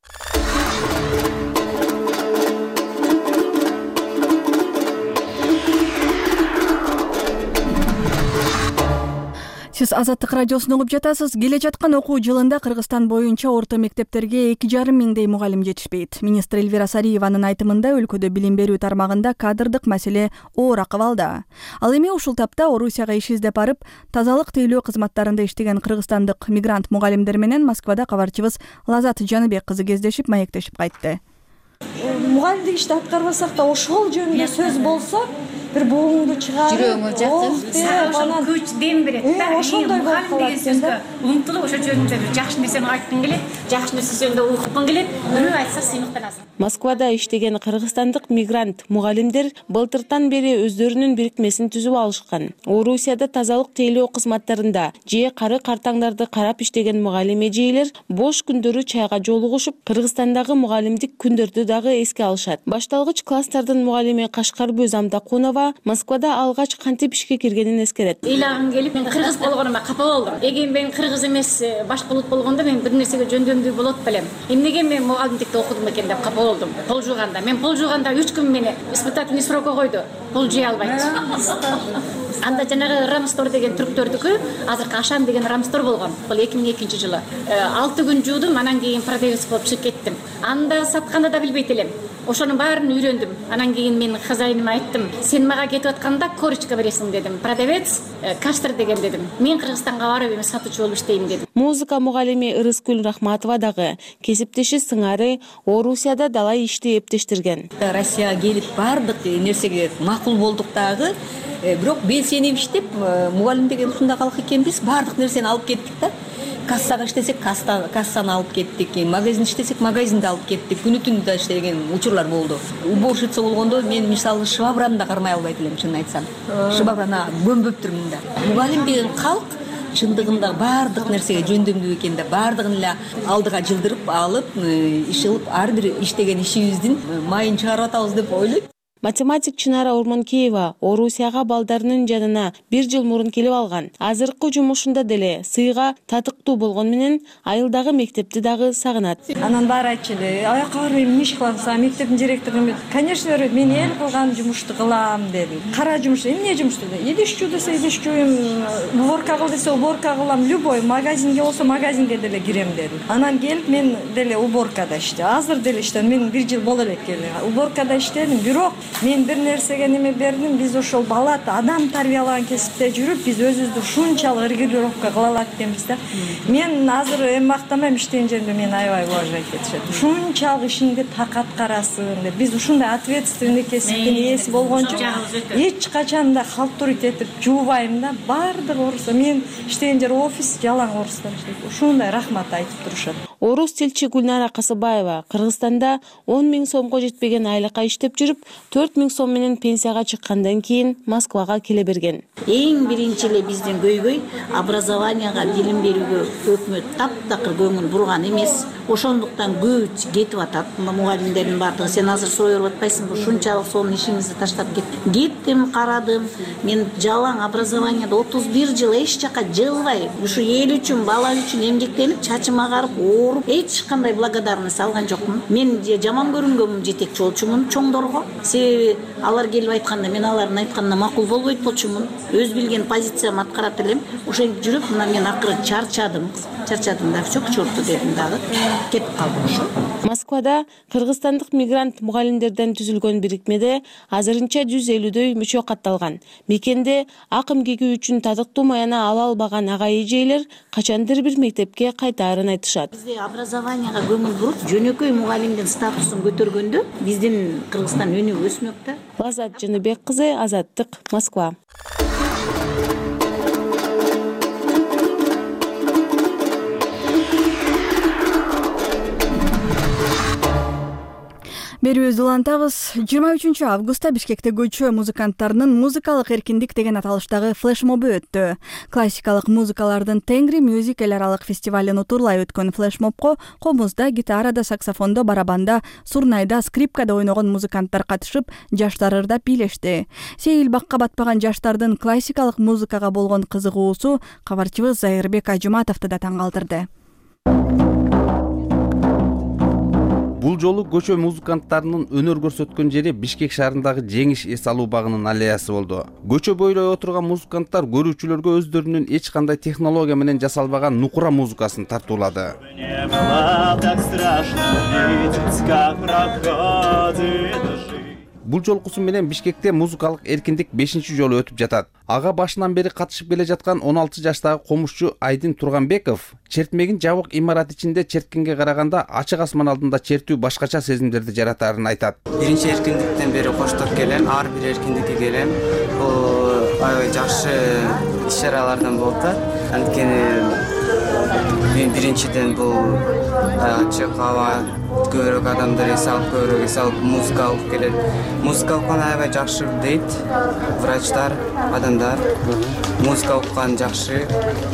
Сиз Азаттык радиосун угуп жатасыз. Келе жаткан окуу жылында Кыргызстан боюнча орто мектептерге эки жарым миңдей мугалим жетишпейт. Министр Элвира Сариеванын айтымында өлкөдө билим берүү тармагында кадрдык маселе оор акыбалда. Ал эми ушул тапта Орусияга иш издеп барып, тазалык тейлөө кызматтарында иштеген кыргызстандык мигрант мугалимдер менен Москвада кабарчыбыз Лазат Жаныбек кызы кездешип, маектешип кайтты. Мугалимдик ишти аткарбасак да ошол жөнүндө сөз болсо, бир бугуңду чыгарып, жүрөгүңө жакты, ошол күч дем берет да. Ошондой болуп калат сөзгө умтулуп ошол жөнүндө бир жакшы нерсени айткың келет, жакшы нерсе жөнүндө уйкуң келет, бирөө айтса сыймыктанасың. Москвада иштеген кыргызстандык мигрант мугалимдер былтыртан бери өздөрүнүн бирикмесин түзүп алышкан. Орусияда тазалык тейлөө кызматтарында же кары картаңдарды карап иштеген мугалим эжелер бош күндөрү чайга жолугушуп, Кыргызстандагы мугалимдик күндөрдү дагы эске алышат. Башталгыч класстардын мугалими Кашкарбөз Амдакунова Москвада алгач кантип ишке киргенин эскерет. Ыйлагым келип, мен кыргыз болгонума капа болдум. Эгер мен кыргыз эмес, башка улут болгондо мен бир нерсеге жөндөмдүү болот белем. Эмнеге мен мугалимдикте окудум экен деп капа болдум. Пол жууганда, мен пол жууганда үч күн мени испытательный срокко койду. Пол жуя албайт. Анда жанагы Рамстор деген түрктөрдүкү, азыркы Ашан деген Рамстор болгон. Бул эки миң экинчи жылы. алты күн жуудум, анан кийин продавец болуп чыгып кеттим. Анда сатканда да билбейт элем. Ошонун баарын үйрөндүм. Анан кийин мен хозяиныма айттым: "Сен мага кетип атканда корочка бересиң" дедим. Продавец Каштыр деген дедим. Мен Кыргызстанга барып эми сатуучу болуп иштейм дедим. Музыка мугалими Ырыскүл Рахматова дагы кесиптеши сыңары Орусияда далай ишти эптештирген. Россияга келип бардык нерсеге макул болдук дагы. Бирок белсенип иштеп, мугалим деген ушундай калк экенбиз, бардык нерсени алып кеттик да. Кассага иштесек, кассаны алып кеттик, магазин иштесек, магазинди алып кеттик. Күнү түнү да иштеген учурлар болду. Уборщица болгондо мен мисалы швабраны да кармай албайт элем, чынын айтсам. Швабраны көмбөптүрмүн да. Мугалим деген калк чындыгында бардык нерсеге жөндөмдүү экен да, бардыгын эле алдыга жылдырып алып, иш кылып, ар бир иштеген ишибиздин майын чыгарып атабыз деп ойлойт. Математик Чынара Урманкеева Орусияга балдарынын жанына бир жыл мурун келип алган. Азыркы жумушунда деле сыйга татыктуу болгон менен айылдагы мектепти дагы сагынат. Анан баары айтчу эле: "Аяка барып эмне иш кыласың? Мектептин директору конечно мен эл кылган жумушту кылам" деди. Кара жумуш, эмне жумуш деди. Идиш жуу десе идиш жууйм, уборка кыл десе уборка кылам, любой магазинге болсо магазинге деле кирем деди. Анан келип мен деле уборкада иштедим. Азыр деле иштедим. Мен бир жыл боло элек келди. Уборкада иштедим, бирок мен бир нерсеге неме бердим. Биз ошол бала адам тарбиялаган кесипте жүрүп, биз өзүбүздү ушунчалык регулировка кыла алат экенбиз да. Мен азыр эми мактамайм, иштеген жеримде мени аябай уважать этишет. Ушунчалык ишиңди так аткарасың деп. Биз ушундай ответственный кесиптин ээси болгончо эч качан да халтурить этип жуубайм да. Бардык орус, мен иштеген жер офис жалаң орустар иштейт. Ушундай рахмат айтып турушат. Орус тилчи Гүлнара Касыбаева Кыргызстанда он миң сомго жетпеген айлыкка иштеп жүрүп, төрт миң сом менен пенсияга чыккандан кийин Москвага келе берген. Эң биринчи эле биздин көйгөй образованияга, билим берүүгө өкмөт таптакыр көңүл бурган эмес. Ошондуктан көп кетип атат. Мугалимдердин бардыгы сен азыр союп атпайсыңбы? Ушунчалык сонун ишиңизди таштап кеттиң. Кеттим, карадым. Мен жалаң образованияда отуз бир жыл эч жака жылбай, ушу эл үчүн, бала үчүн эмгектенип, чачым агарып, ооруп, эч кандай благодарность алган жокмун. Мен жаман көрүнгөнмүн жетекчи болчумун чоңдорго. Себеби алар келип айтканда, мен алардын айтканына макул болбойт болчумун. Өз билген позициямды аткарат элем. Ошентип жүрүп, мына мен акыры чарчадым. Чарчадым да, все к черту дедим дагы. Кетип калдым ошо. Москвада кыргызстандык мигрант мугалимдерден түзүлгөн бирикмеде азырынча жүз элүүдөй мүчө катталган. Мекенде ак эмгеги үчүн татыктуу маяна ала албаган ага эжелер качандыр бир мектепке кайтаарын айтышат. Бизде образованияга көңүл буруп жөнөкөй мугалимдин статусун көтөргөндө биздин Кыргызстан өнүгүп өсмөк да. Азат Жыныбек кызы, Азаттык, Москва. Берүүбүздү улантабыз. жыйырма үчүнчү августта Бишкекте көчө музыканттарынын музыкалык эркиндик деген аталыштагы флешмобу өттү. Классикалык музыкалардын Тенгри Music эл аралык фестивалын утурлай өткөн флешмобко комузда, гитарада, саксофондо, барабанда, сурнайда, скрипкада ойногон музыканттар катышып, жаштар ырдап бийлешти. Сейил бакка батпаган жаштардын классикалык музыкага болгон кызыгуусу кабарчыбыз Зайырбек Ажыматовду да таң калтырды. Бул жолу көчө музыканттарынын өнөр көрсөткөн жери Бишкек шаарындагы Жеңиш эс алуу багынын аллеясы болду. Көчө бойлой отурган музыканттар көрүүчүлөргө өздөрүнүн эч кандай технология менен жасалбаган нукура музыкасын тартуулады. Бул жолкусу менен Бишкекте музыкалык эркиндик бешинчи жолу өтүп жатат. Ага башынан бери катышып келе жаткан он алты жаштагы комушчу Айдын Турганбеков чертмегин жабык имарат ичинде черткенге караганда ачык асман алдында чертүү башкача сезимдерди жаратарын айтат. Биринчи эркиндиктен бери коштоп келем, ар бир эркиндикке келем. Бул аябай жакшы иш-чаралардан болуп атат. Анткени мен биринчиден бул ачык аба, көбүрөөк адамдар эс алып, көбүрөөк эс алып музыка алып келет. Музыка уккан аябай жакшы дейт врачтар, адамдар. Музыка уккан жакшы.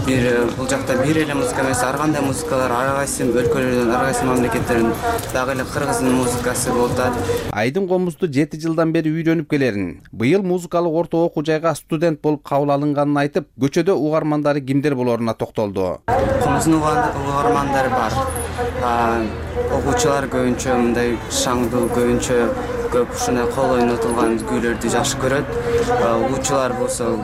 Бир бул жакта бир эле музыка эмес, ар кандай музыкалар, ар кайсы өлкөлөрдөн, ар кайсы мамлекеттерден дагы эле Кыргыздын музыкасы болуп атат. Айдын комузду жети жылдан бери үйрөнүп келерин, быйыл музыкалык орто окуу жайга студент болуп кабыл алынганын айтып, көчөдө угармандары кимдер болоруна токтолду. Комуздун угармандары бар. Окуучулар көбүнчө мындай шаңдуу, көбүнчө көп ушундай кол ойнотулган күүлөрдү жакшы көрөт. Угуучулар болсо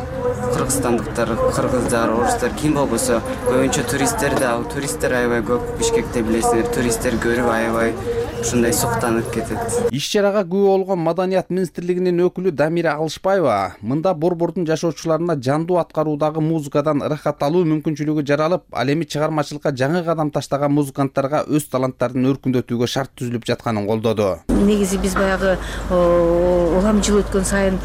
кыргызстандыктар, кыргыздар, орустар ким болбосо көбүнчө туристтер да, туристтер аябай көп Бишкекте билесиңер, туристтер көрүп аябай ушундай суктанып кетет. Иш-чарага күбө болгон Маданият министрлигинин өкүлү Дамира Алышбаева мында борбордун жашоочуларына жандуу аткаруудагы музыкадан ырахат алуу мүмкүнчүлүгү жаралып, ал эми чыгармачылыкка жаңы кадам таштаган музыканттарга өз таланттарын өркүндөтүүгө шарт түзүлүп жатканын колдоду. Негизи биз баягы улам жыл өткөн сайын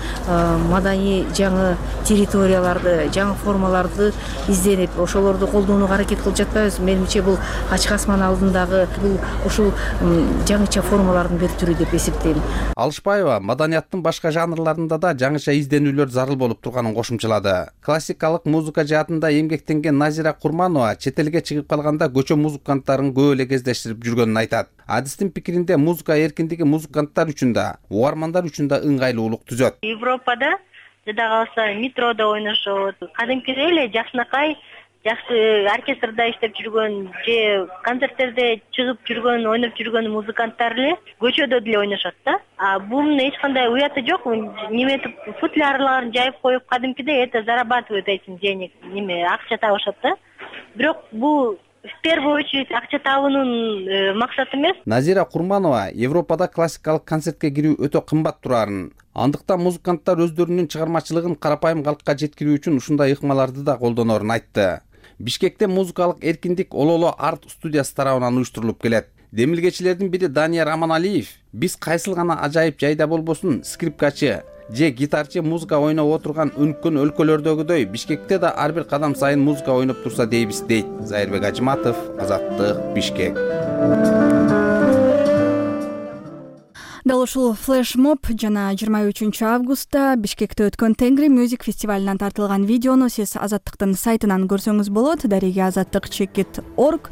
маданий жаңы территорияларды, жаңы формаларды изденип, ошолорду колдонууга аракет кылып жатпайбыз. Менимче бул ачык асман алдындагы бул ушул жаңыча формалардын бир түрү деп эсептейм. Алышбаева маданияттын башка жанрларында да жаңыча изденүүлөр зарыл болуп турганын кошумчалады. Классикалык музыка жаатында эмгектенген Назира Курманова чет элге чыгып калганда көчө музыканттарын көп эле кездештирип жүргөнүн айтат. Адистин пикиринде музыка эркиндиги музыканттар үчүн да, угармандар үчүн да ыңгайлуулук түзөт. Европада жада калса метрода ойношот, кадимкидей эле жакшынакай жакшы оркестрда иштеп жүргөн же концерттерде чыгып жүргөн, ойноп жүргөн музыканттар эле көчөдө деле ойношот да. А бунун эч кандай уяты жок. Неметип футлярларын жайып коюп кадимкидей это зарабатывают этим денег, неме акча табышат да. Бирок бул в первую очередь акча табуунун максаты эмес. Назира Курманова Европада классикалык концертке кирүү өтө кымбат турарын. Андыктан музыканттар өздөрүнүн чыгармачылыгын карапайым калкка жеткирүү үчүн ушундай ыкмаларды да колдонорун айтты. Бишкекте музыкалык эркиндик Ололо арт студиясы тарабынан уюштурулуп келет. Демилгечилердин бири Данияр Аманалиев биз кайсыл гана ажайып жайда болбосун скрипкачы же гитарчы музыка ойноп отурган өнүккөн өлкөлөрдөгүдөй Бишкекте да ар бир кадам сайын музыка ойноп турса дейбиз дейт. Зайырбек Ажыматов, Азаттык, Бишкек. Дал ушул флешмоб жана жыйырма үчүнчү августта Бишкекте өткөн Тенгри Music фестивалынан тартылган видеону сиз Азаттыктын сайтынан көрсөңүз болот. Дареги азаттык чекит точка орг.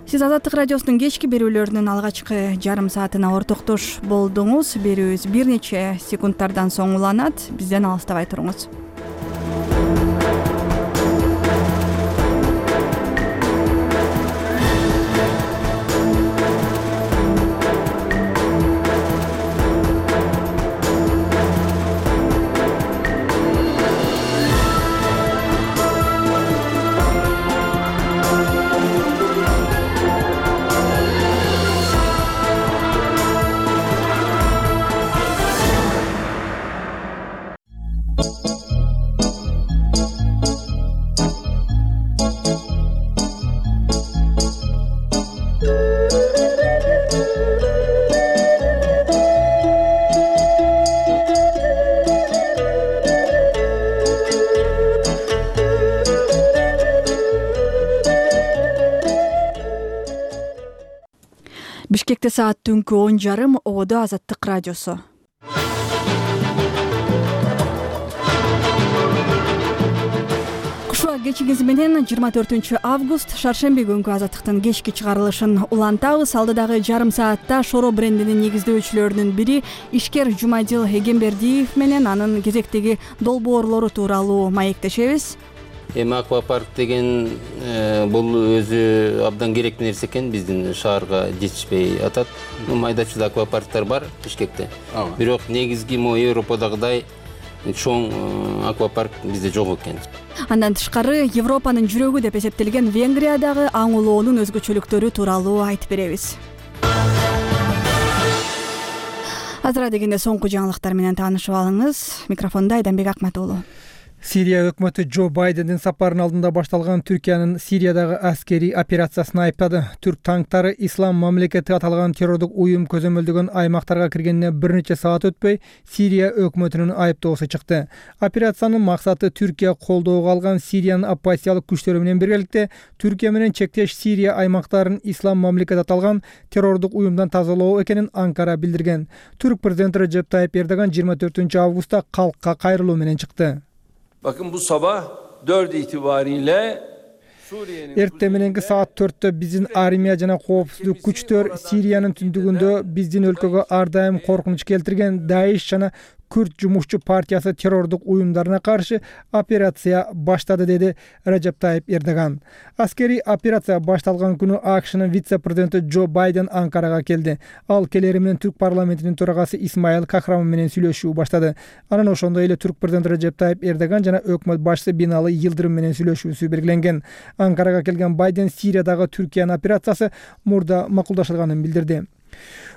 Сиз Азаттык радиосунун кечки берүүлөрүнүн алгачкы жарым саатына ортоктош болдуңуз. Берүүбүз бир нече секундтардан соң уланат. Бизден алыстабай туруңуз. Бишкекте саат түнкү он жарым, Ободо Азаттык радиосу. Кушуа кечиңиз менен жыйырма төртүнчү август шаршемби күнкү Азаттыктын кечки чыгарылышын улантабыз. Алдыдагы жарым саатта Шоро брендинин негиздөөчүлөрүнүн бири Ишкер Жумадил Эгембердиев менен анын кезектеги долбоорлору тууралуу маектешебиз. Эми аквапарк деген бул өзү абдан керектүү нерсе экен, биздин шаарга жетишпей атат. Майда чүйдө аквапарктар бар Бишкекте. Бирок негизги могу Европадагыдай чоң аквапарк бизде жок экен. Андан тышкары Европанын жүрөгү деп эсептелген Венгриядагы аң улоонун өзгөчөлүктөрү тууралуу айтып беребиз. Азыра дегенде соңку жаңылыктар менен таанышып алыңыз. Микрофондо Айданбек Акматуулу. Сирия өкмөтү Джо Байдендин сапарынын алдында башталган Түркиянын Сириядагы аскерий операциясын айыптады. Түрк танктары Ислам мамлекети аталган террордук уюм көзөмөлдөгөн аймактарга киргенине бир нече саат өтпөй Сирия өкмөтүнүн айыптоосу чыкты. Операциянын максаты Түркия колдоого алган Сириянын оппозициялык күчтөрү менен биргеликте Түркия менен чектеш Сирия аймактарын Ислам мамлекети аталган террордук уюмдан тазалоо экенин Анкара билдирген. Түрк президенти Режеп Тайип Эрдоган жыйырма төртүнчү августта калкка кайрылуу менен чыкты. Bakın bu sabah dört itibariyle Эртең мененки саат төрттө биздин армия жана коопсуздук күчтөр Сириянын түндүгүндө биздин өлкөгө ар дайым коркунуч келтирген Даиш жана Күрд жумушчу партиясы террордук уюмдарына каршы операция баштады, деди Режеп Тайип Эрдоган. Аскерий операция башталган күнү АКШнын вице-президенти Джо Байден Анкарага келди. Ал келери менен Түрк парламентинин төрагасы Исмаил Кахрамов менен сүйлөшүү баштады. Анан ошондой эле Түрк президенти Режеп Тайип Эрдоган жана өкмөт башчысы Бинали Йылдырым менен сүйлөшүүсү белгиленген. Анкарага келген Байден Сириядагы Түркиянын операциясы мурда макулдашылганын билдирди.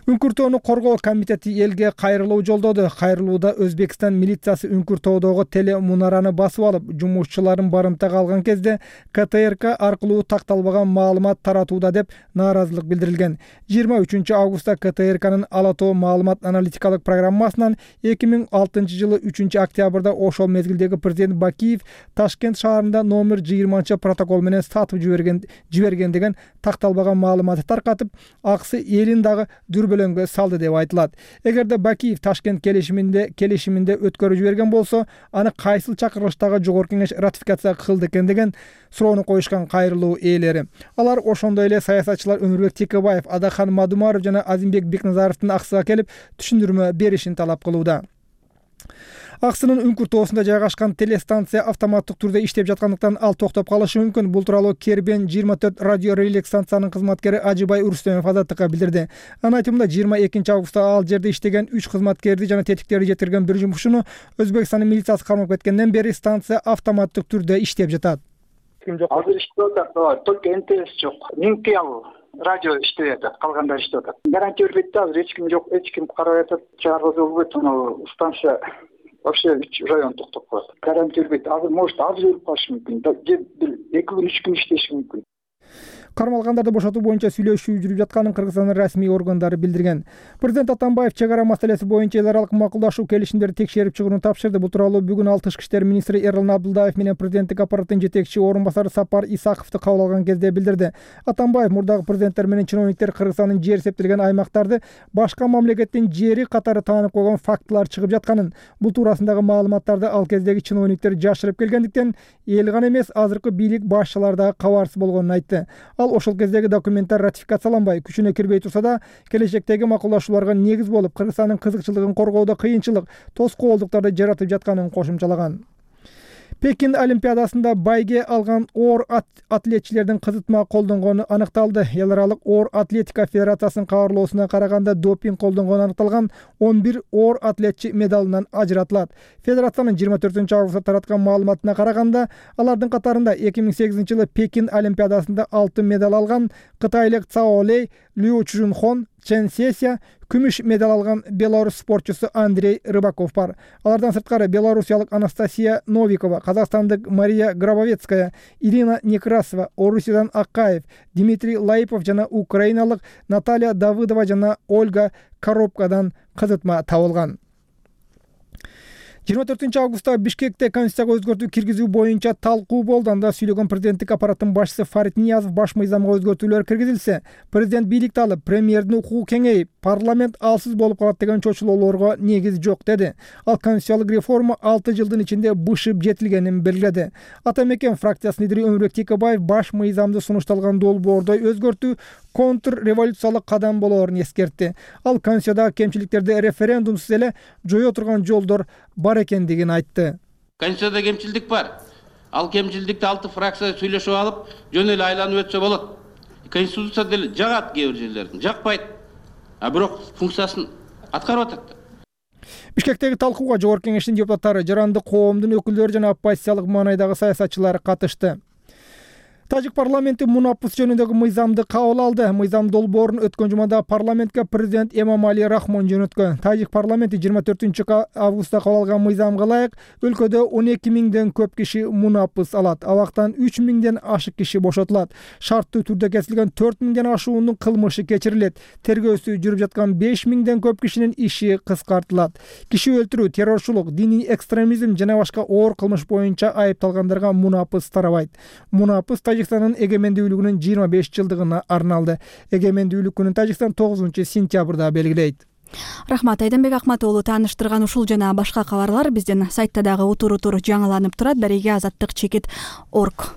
Үңкүртөөнү коргоо комитети элге кайрылуу жолдоду. Кайрылууда Өзбекстан милициясы Үңкүртөөдөгү теле мунараны басып алып, жумушчуларын барымтага алган кезде К Т Р К аркылуу такталбаган маалымат таратууда деп нааразылык билдирилген. жыйырма үчүнчү августта К Т Р К'нын Ала тоо маалымат аналитикалык программасынан эки миң алтынчы жылы үчүнчү октябрда ошол мезгилдеги президент Бакиев Ташкент шаарында номер жыйырманчы протокол менен сатып жиберген жиберген деген такталбаган маалыматты таркатып, аксы элин дагы дүрбөлөңгө салды деп айтылат. Эгерде Бакиев Ташкент келишиминде келишиминде өткөрүп жиберген болсо, аны кайсыл чакырылыштагы жогорку кеңеш ратификация кылды экен деген суроону коюшкан кайрылуу ээлери. Алар ошондой эле саясатчылар Өмүрбек Текебаев, Адахан Мадумаров жана Азимбек Бекназаровдун аксыга келип түшүндүрмө беришин талап кылууда. Аксынын Үңкүртөосунда жайгашкан телестанция автоматтык түрдө иштеп жаткандыктан ал токтоп калышы мүмкүн. Бул тууралуу Кербен жыйырма төрт радио релик станциянын кызматкери Ажыбай Урустемов Азаттыкка билдирди. Анын айтымында жыйырма экинчи августта ал жерде иштеген үч кызматкерди жана тетиктерди жеткирген бир жумушчуну Өзбекстандын милициясы кармап кеткенден бери станция автоматтык түрдө иштеп жатат. Ким жок? Азыр иштеп атат, только Н Т С жок. Минки ал радио иштеп атат, калгандар иштеп атат. Гарантия бербейт да, азыр эч ким жок, эч ким карап атат. Чыгаргызып болбойт, анау станция вообще район токтоп калат. Гарантия бербейт. Азыр может азыр өлүп калышы мүмкүн. эки күн үч күн иштеши мүмкүн. Кармалгандарды бошотуу боюнча сүйлөшүү жүрүп жатканын Кыргызстандын расмий органдары билдирген. Президент Атамбаев чек ара маселеси боюнча эл аралык макулдашуу келишимдерди текшерип чыгууну тапшырды. Бул тууралуу бүгүн ал тышкы иштер министри Эрлан Абдылдаев менен президенттик аппараттын жетекчи орун басары Сапар Исаковду кабыл алган кезде билдирди. Атамбаев мурдагы президенттер менен чиновниктер Кыргызстандын жер эсептелген аймактарды башка мамлекеттин жери катары таанып койгон фактылар чыгып жатканын, бул туурасындагы маалыматтарды ал кездеги чиновниктер жашырып келгендиктен эл гана эмес, азыркы бийлик башчылары дагы кабарсыз болгонун айтты. Ал ошол кездеги документтер ратификацияланбай, күчүнө кирбей турса да, келечектеги макулдашууларга негиз болуп, Кыргызстандын кызыкчылыгын коргоодо кыйынчылык, тоскоолдуктарды жаратып жатканын кошумчалаган. Пекин Олимпиадасында байге алган оор атлетчилердин кызытма колдонгону аныкталды. Эл аралык оор атлетика федерациясынын кабарлоосуна караганда допинг колдонгону аныкталган он бир оор атлетчи медалынан ажыратылат. Федерациянын жыйырма төртүнчү августта тараткан маалыматына караганда, алардын катарында эки миң сегизинчи жылы Пекин Олимпиадасында алтын медаль алган кытайлык Цао Лей, Лю Чжунхон, Ченсесия, күмүш медаль алган белорус спортчусу Андрей Рыбаков бар. Алардан сырткары белорусиялык Анастасия Новикова, казакстандык Мария Гробовецкая, Ирина Некрасова, Орусиядан Акаев, Дмитрий Лаипов жана украиналык Наталья Давыдова жана Ольга Коробкадан кызытма табылган. жыйырма төртүнчү августта Бишкекте Конституцияга өзгөртүү киргизүү боюнча талкуу болду. Анда сүйлөгөн президенттик аппараттын башчысы Фарид Ниязов баш мыйзамга өзгөртүүлөр киргизилсе, президент бийликти алып, премьердин укугу кеңейип, парламент алсыз болуп калат деген чочулоолорго негиз жок деди. Ал конституциялык реформа алты жылдын ичинде бышып жетилгенин белгиледи. Ата мекен фракциясынын лидери Өмүрбек Текебаев баш мыйзамды сунушталган долбоордой өзгөртүү контрреволюциялык кадам болоорун эскертти. Ал конституциядагы кемчиликтерди референдумсуз эле жое турган жолдор бар экендигин айтты. Конституцияда кемчилдик бар. Ал кемчилдикти алты фракция сүйлөшүп алып, жөн эле айланып өтсө болот. Конституция деле жагат кээ бир жерлерин, жакпайт. А бирок функциясын аткарып атат. Бишкектеги талкууга Жогорку Кеңештин депутаттары, жарандык коомдун өкүлдөрү жана оппозициялык маанайдагы саясатчылар катышты. Тажик парламенти мунапус жөнүндөгү мыйзамды кабыл алды. Мыйзам долбоорун өткөн жумада парламентке президент Эмомали Рахмон жөнөткөн. Тажик парламенти жыйырма төртүнчү августта кабыл алган мыйзамга ылайык өлкөдө он эки миңден көп киши мунапус алат. Абактан үч миңден ашык киши бошотулат. Шарттуу түрдө кесилген төрт миңден ашуунун кылмышы кечирилет. Тергөөсү жүрүп жаткан беш миңден көп кишинин иши кыскартылат. Киши өлтүрүү, террорчулук, диний экстремизм жана башка оор кылмыш боюнча айыпталгандарга мунапус тарабайт. Мунапус Тажикстандын эгемендүүлүгүнүн жыйырма беш жылдыгына арналды. Эгемендүүлүк күнүн Тажикстан тогузунчу сентябрда белгилейт. Рахмат, Айдамбек Акматоğlu тааныштырган ушул жана башка кабарлар биздин сайтта дагы утур-утур жаңыланып турат. Дареге азаттык чекит орг.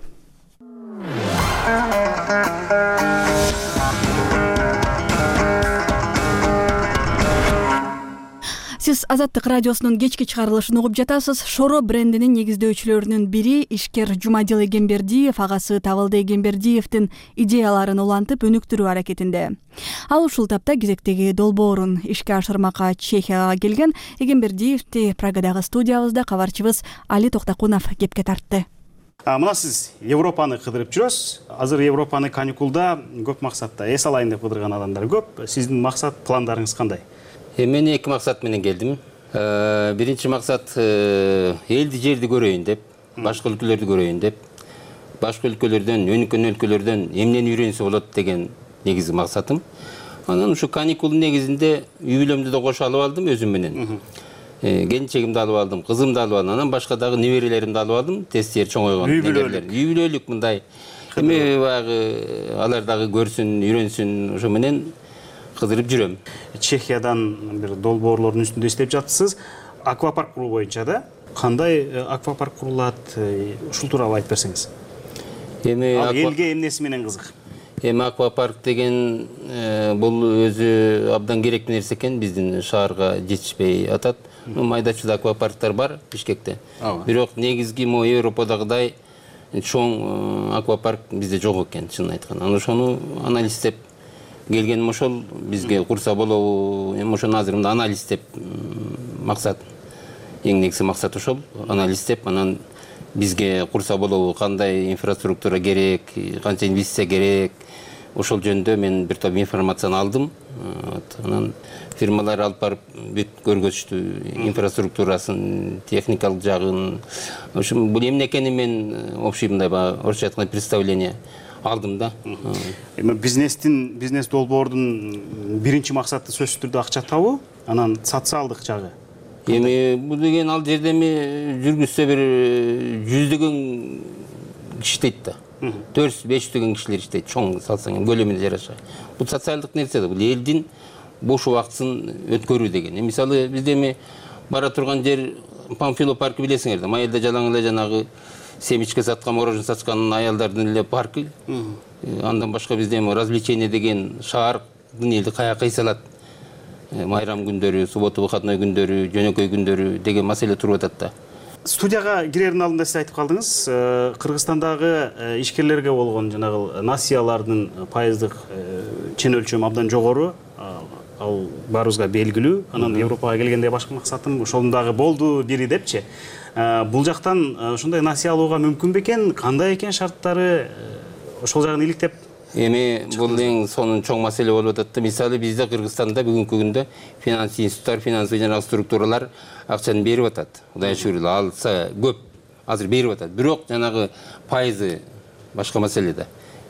Сиз Азаттык радиосунун кечки чыгарылышын угуп жатасыз. Шоро брендинин негиздөөчүлөрүнүн бири ишкер Жумадил Эгембердиев агасы Табылды Эгембердиевдин идеяларын улантып өнүктүрүү аракетинде. Ал ушул тапта кезектеги долбоорун ишке ашырмакка Чехияга келген. Эгембердиевди Прагадагы студиябызда кабарчыбыз Али Токтакунов кепке тартты. Мына сиз Европаны кыдырып жүрөсүз. Азыр Европаны каникулда көп максатта эс алайын деп кыдырган адамдар көп. Сиздин максат, пландарыңыз кандай? Мен эки максат менен келдим. Биринчи максат элди жерди көрөйүн деп, башка өлкөлөрдү көрөйүн деп, башка өлкөлөрдөн, өнүккөн өлкөлөрдөн эмнени үйрөнсө болот деген негизги максатым. Анан ушу каникулдун негизинде үй бүлөмдү да кошо алып алдым өзүм менен. Келинчегимди алып алдым, кызымды алып алдым, анан башка дагы неберелеримди алып алдым, тестери чоңойгон неберелер. Үй бүлөлүк мындай. Эми баягы алар дагы көрсүн, үйрөнсүн, ошо менен кыдырып жүрөм. Чехиядан бир долбоорлордун үстүндө иштеп жатсыз. Аквапарк куруу боюнча да кандай аквапарк курулат? Ушул тууралуу айтып берсеңиз. Эми элге эмнеси менен кызык? Эми аквапарк деген бул өзү абдан керектүү нерсе экен, биздин шаарга жетишпей атат. Майда-чүйдө аквапарктар бар Бишкекте. Бирок негизги мо Европадагыдай чоң аквапарк бизде жок экен, чынын айтканда. Анан ошону анализдеп келгеним ошол, бизге курса болобу, эми ошону азыр мында анализдеп максат. Эң негизги максат ошол, анализдеп, анан бизге курса болобу, кандай инфраструктура керек, канча инвестиция керек. Ошол жөнүндө мен бир топ информацияны алдым. Анан фирмалар алып барып бүт көргөзүштү, инфраструктурасын, техникалык жагын. Ошо бул эмне экенин мен общий мындай орусча айтканда представление алдым да. Эми бизнестин, бизнес долбоордун биринчи максаты сөзсүз түрдө акча табуу, анан социалдык жагы. Эми бул деген ал жерде эми жүргүзсө бир жүздөгөн киши иштейт да. төрт жүз беш жүздөгөн кишилер иштейт, чоң салсаң көлөмүнө жараша. Бул социалдык нерсе да, бул элдин бош убактысын өткөрүү деген. Мисалы бизде эми бара турган жер Памфилов паркы билесиңер да, майылда жалаң эле жанагы семечке саткан, мороженое саткан аялдардын эле паркы. Андан башка бизде эми развлечение деген шаардын элди каяка кыйсалат. Майрам күндөрү, суббота выходной күндөрү, жөнөкөй күндөрү деген маселе туруп атат да. Студияга кирердин алдында сиз айтып калдыңыз, Кыргызстандагы ишкерлерге болгон жанагы насыялардын пайыздык чен өлчөмү абдан жогору. Ал баарыбызга белгилүү. Анан Европага келгенде башка максатым ошол дагы болду бири депчи. Бул жактан ушундай насыя алууга мүмкүн бекен, кандай экен шарттары, ошол жагын иликтеп эми бул эң сонун чоң маселе болуп атат да. Мисалы бизде Кыргызстанда бүгүнкү күндө финанс институттар, финансый жанагы структуралар акчаны берип атат. Кудай шүгүр алса көп азыр берип атат. Бирок жанагы пайызы башка маселе да.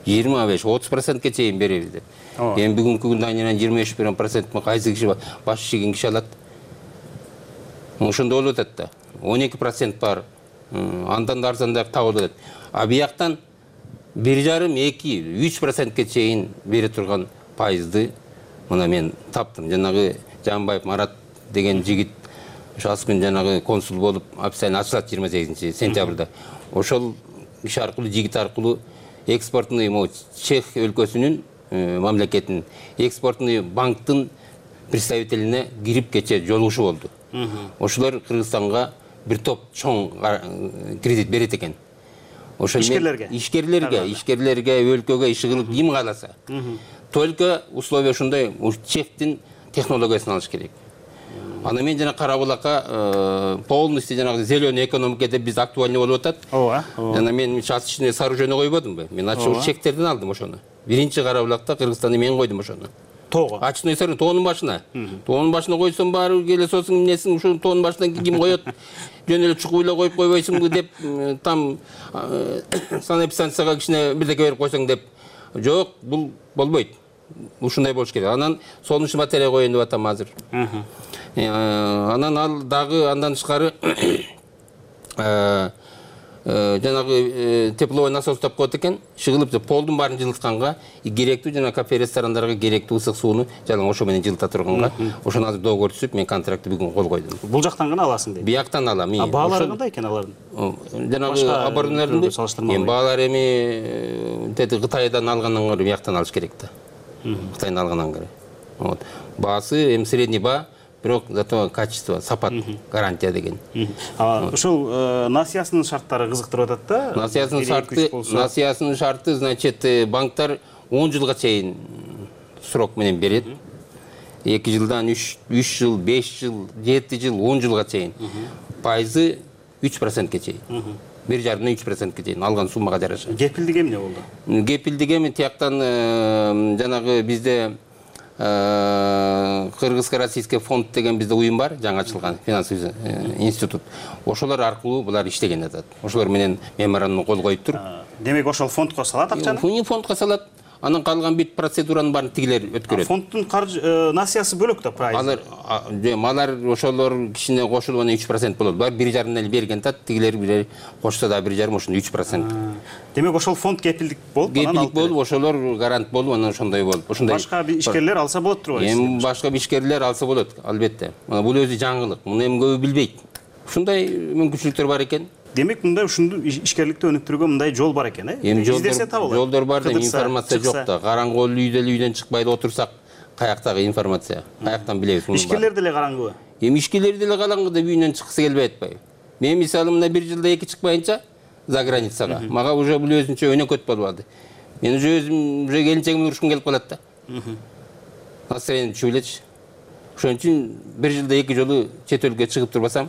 жыйырма беш отуз процентке чейин беребиз деп. Эми бүгүнкү күндө айынан жыйырма беш процентми кайсы киши баш чийген киши алат? Ошондой болуп атат да. он эки процент бар. Андан да арзандап табылып атат. А бияктан бир жарым эки үч процентке чейин бере турган пайызды мына мен таптым. Жанагы Жанбаев Марат деген жигит ошо аз күн жанагы консул болуп официально ачылат жыйырма сегизинчи сентябрда. Ошол иш аркылуу жигит аркылуу экспортный Чех өлкөсүнүн мамлекетинин экспортный банктын представителине кирип кече жолугушу болду. Ошолор Кыргызстанга бир топ чоң кредит берет экен. Ошо ишкерлерге, ишкерлерге, ишкерлерге, өлкөгө иш кылып ким кааласа. Только условия ушундай, Чехтин технологиясын алыш керек. Ана мен жана Карабулакка полностью жанагы зеленый экономика деп биз актуальный болуп атат. Ооба. Жана мен чатышный сооружение койбодумбу? Мен ачуу чектерден алдым ошону. Биринчи Карабулакта Кыргызстанда мен койдум ошону. Тоого. Ачный сооружение тоонун башына. Тоонун башына койсоң баары келе соосуң эмнесиң, ушул тоонун башынан ким коет? Жөн эле чукуйлап коюп койбойсуңбу деп там санэпидстанцияга кичине бирдеке берип койсоң деп. Жок, бул болбойт. Ушундай болуш керек. Анан сонунчу батарея коеюн деп атам азыр. Анан ал дагы андан тышкары жанагы тепловой насос тап коет экен. Шыгылып полдун баарын жылытканга керектүү жана кафе ресторандарга керектүү ысык сууну жалаң ошо менен жылыта турганга ошону азыр договор түзүп мен контрактты бүгүн кол койдум. Бул жактан гана аласың дейт. Бияктан алам. А баалары кандай экен алардын? Жанагы оборудованиялардын баалары эми тети Кытайдан алгандан көрө бияктан алыш керек да. Кытайдан алгандан көрө. Вот. Баасы эми средний баа, бирок зато качество, сапат, гарантия деген. Ошол насыясынын шарттары кызыктырып атат да. Насыясынын шарты, насыясынын шарты, значит, банктар он жылга чейин срок менен берет. эки жылдан үч жыл, беш жыл, жети жыл, он жылга чейин. Пайызы үч процентке чейин. бир жарымдан үч процентке чейин алган суммага жараша. Кепилдик эмне болду? Кепилдик эми тияктан жанагы бизде Кыргызско-российский фонд деген бизде уюм бар, жаңы ачылган финансовый институт. Ошолор аркылуу булар иштеген атат. Ошолор менен меморандум кол коюп туруп. Демек ошол фондко салат акчаны? Фондко салат. Анан калган бүт процедуранын баарын тигилер өткөрөт. Фонддун насыясы бөлөк да прайс. Алар малар ошолор кишине кошулуп анан үч процент болот. Бар бир жарым эле берген тат, тигилер бир кошсо да бир жарым ошондо үч процент. Демек ошол фонд кепилдик болуп, анан кепилдик болуп, ошолор гарант болуп, анан ошондой болуп. Ошондой башка ишкерлер алса болот турбайбы? Эми башка ишкерлер алса болот, албетте. Бул өзү жаңылык. Муну эми көбү билбейт. Ушундай мүмкүнчүлүктөр бар экен. Демек мындай ушунду ишкерликти өнүктүрүүгө мындай жол бар экен, э? Эми жолдор бар да, информация жок да. Караңгы үйдө эле үйдөн чыкпай эле отурсак, каяктагы информация, каяктан билебиз муну? Ишкерлер деле караңгыбы? Эми ишкерлер деле караңгы деп үйүнөн чыккысы келбей атпайбы? Мен мисалы мына бир жылда эки чыкпайынча за границага, мага уже бул өзүнчө өнөкөт болуп алды. Мен уже өзүм уже келинчегимди урушкум келип калат да. Настроение түшүп элечи. Ошон үчүн бир жылда эки жолу чет өлкөгө чыгып турбасам,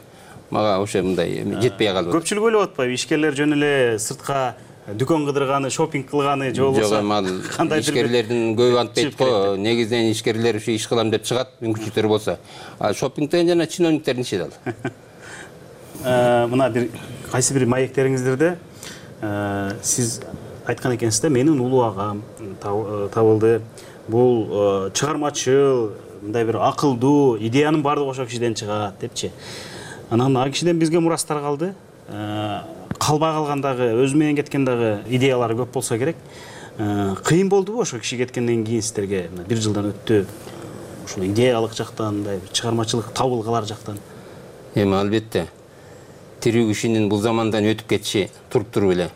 мага ошо мындай жетпей калып. Көпчүлүк ойлоп атпайбы, ишкерлер жөн эле сыртка дүкөн кыдырганы, шопинг кылганы же болбосо? Жок, ал ишкерлердин көбү антпайт го. Негизинен ишкерлер ушу иш кылам деп чыгат, мүмкүнчүлүктөр болсо. А шопингден жана чиновниктердин иши да ал. Мына бир кайсы бир маектериңиздерде сиз айткан экенсиз да, менин улуу агам табылды. Бул чыгармачыл, мындай бир акылдуу, идеянын баардыгы ошол кишиден чыгат депчи. Анан ал кишиден бизге мурастар калды. Калбай калган дагы, өзү менен кеткен дагы идеялары көп болсо керек. Кыйын болдубу ошо киши кеткенден кийин сиздерге? Бир жылдан өттү. Ушул идеялык жактан, мындай чыгармачылык табылгалар жактан. Эми албетте тирүү кишинин бул замандан өтүп кетиши туруп туруп эле.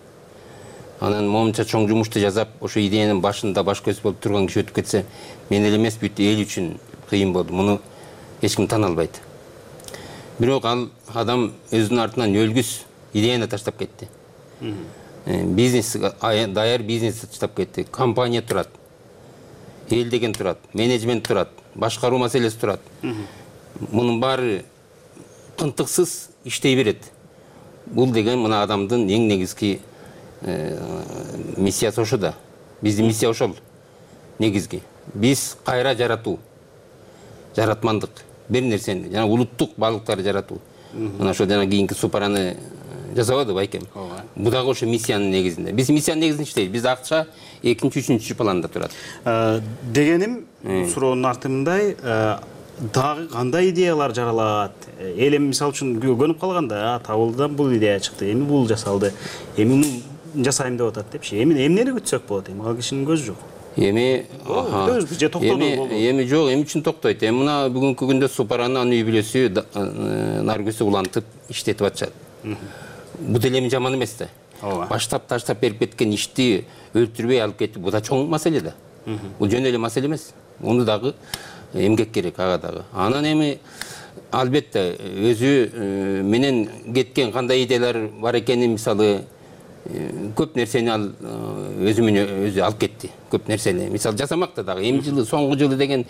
Анан момунча чоң жумушту жасап, ошо идеянын башында баш көз болуп турган киши өтүп кетсе, мен эле эмес, бүт эл үчүн кыйын болду. Муну эч ким тана албайт. Бирок ал адам өзүнүн артынан өлгүс идеяны таштап кетти. Бизнес, даяр бизнес таштап кетти. Компания турат. Эл деген турат, менеджмент турат, башкаруу маселеси турат. Мунун баары тынтыксыз иштей берет. Бул деген мына адамдын эң негизги миссиясы ошо да. биздин миссия ошол негизги. Биз кайра жаратуу, жаратмандык бир нерсени, жана улуттук баалыктарды жаратуу. Мына ошол жана кийинки супараны жасабады байкем. Бул дагы ошо миссиянын негизинде. Биз миссиянын негизинде иштейбиз. Биз акча экинчи, үчүнчү планда турат. Дегеним, суроонун арты мындай, дагы кандай идеялар жаралат? Эл эми мисалы үчүн көнүп калганда, табылдан бул идея чыкты, эми бул жасалды, эми муну жасайм деп атат депчи. Эми эмнени күтсөк болот? Эми ал кишинин көзү жок. Эми же токтоду болду. Эми жок, эми үчүн токтойт. Эми мына бүгүнкү күндө Супараны анын үй бүлөсү Наргүзү улантып иштетип атышат. Бул деле эми жаман эмес да. Баштап таштап берип кеткен ишти өлтүрбөй алып кетип, бул да чоң маселе да. Бул жөн эле маселе эмес. Муну дагы эмгек керек ага дагы. Анан эми албетте өзү менен кеткен кандай идеялар бар экенин, мисалы көп нерсени ал өзү менен өзү алып кетти. Көп нерсени. Мисалы жасамакта дагы эми жылы, соңку жылы деген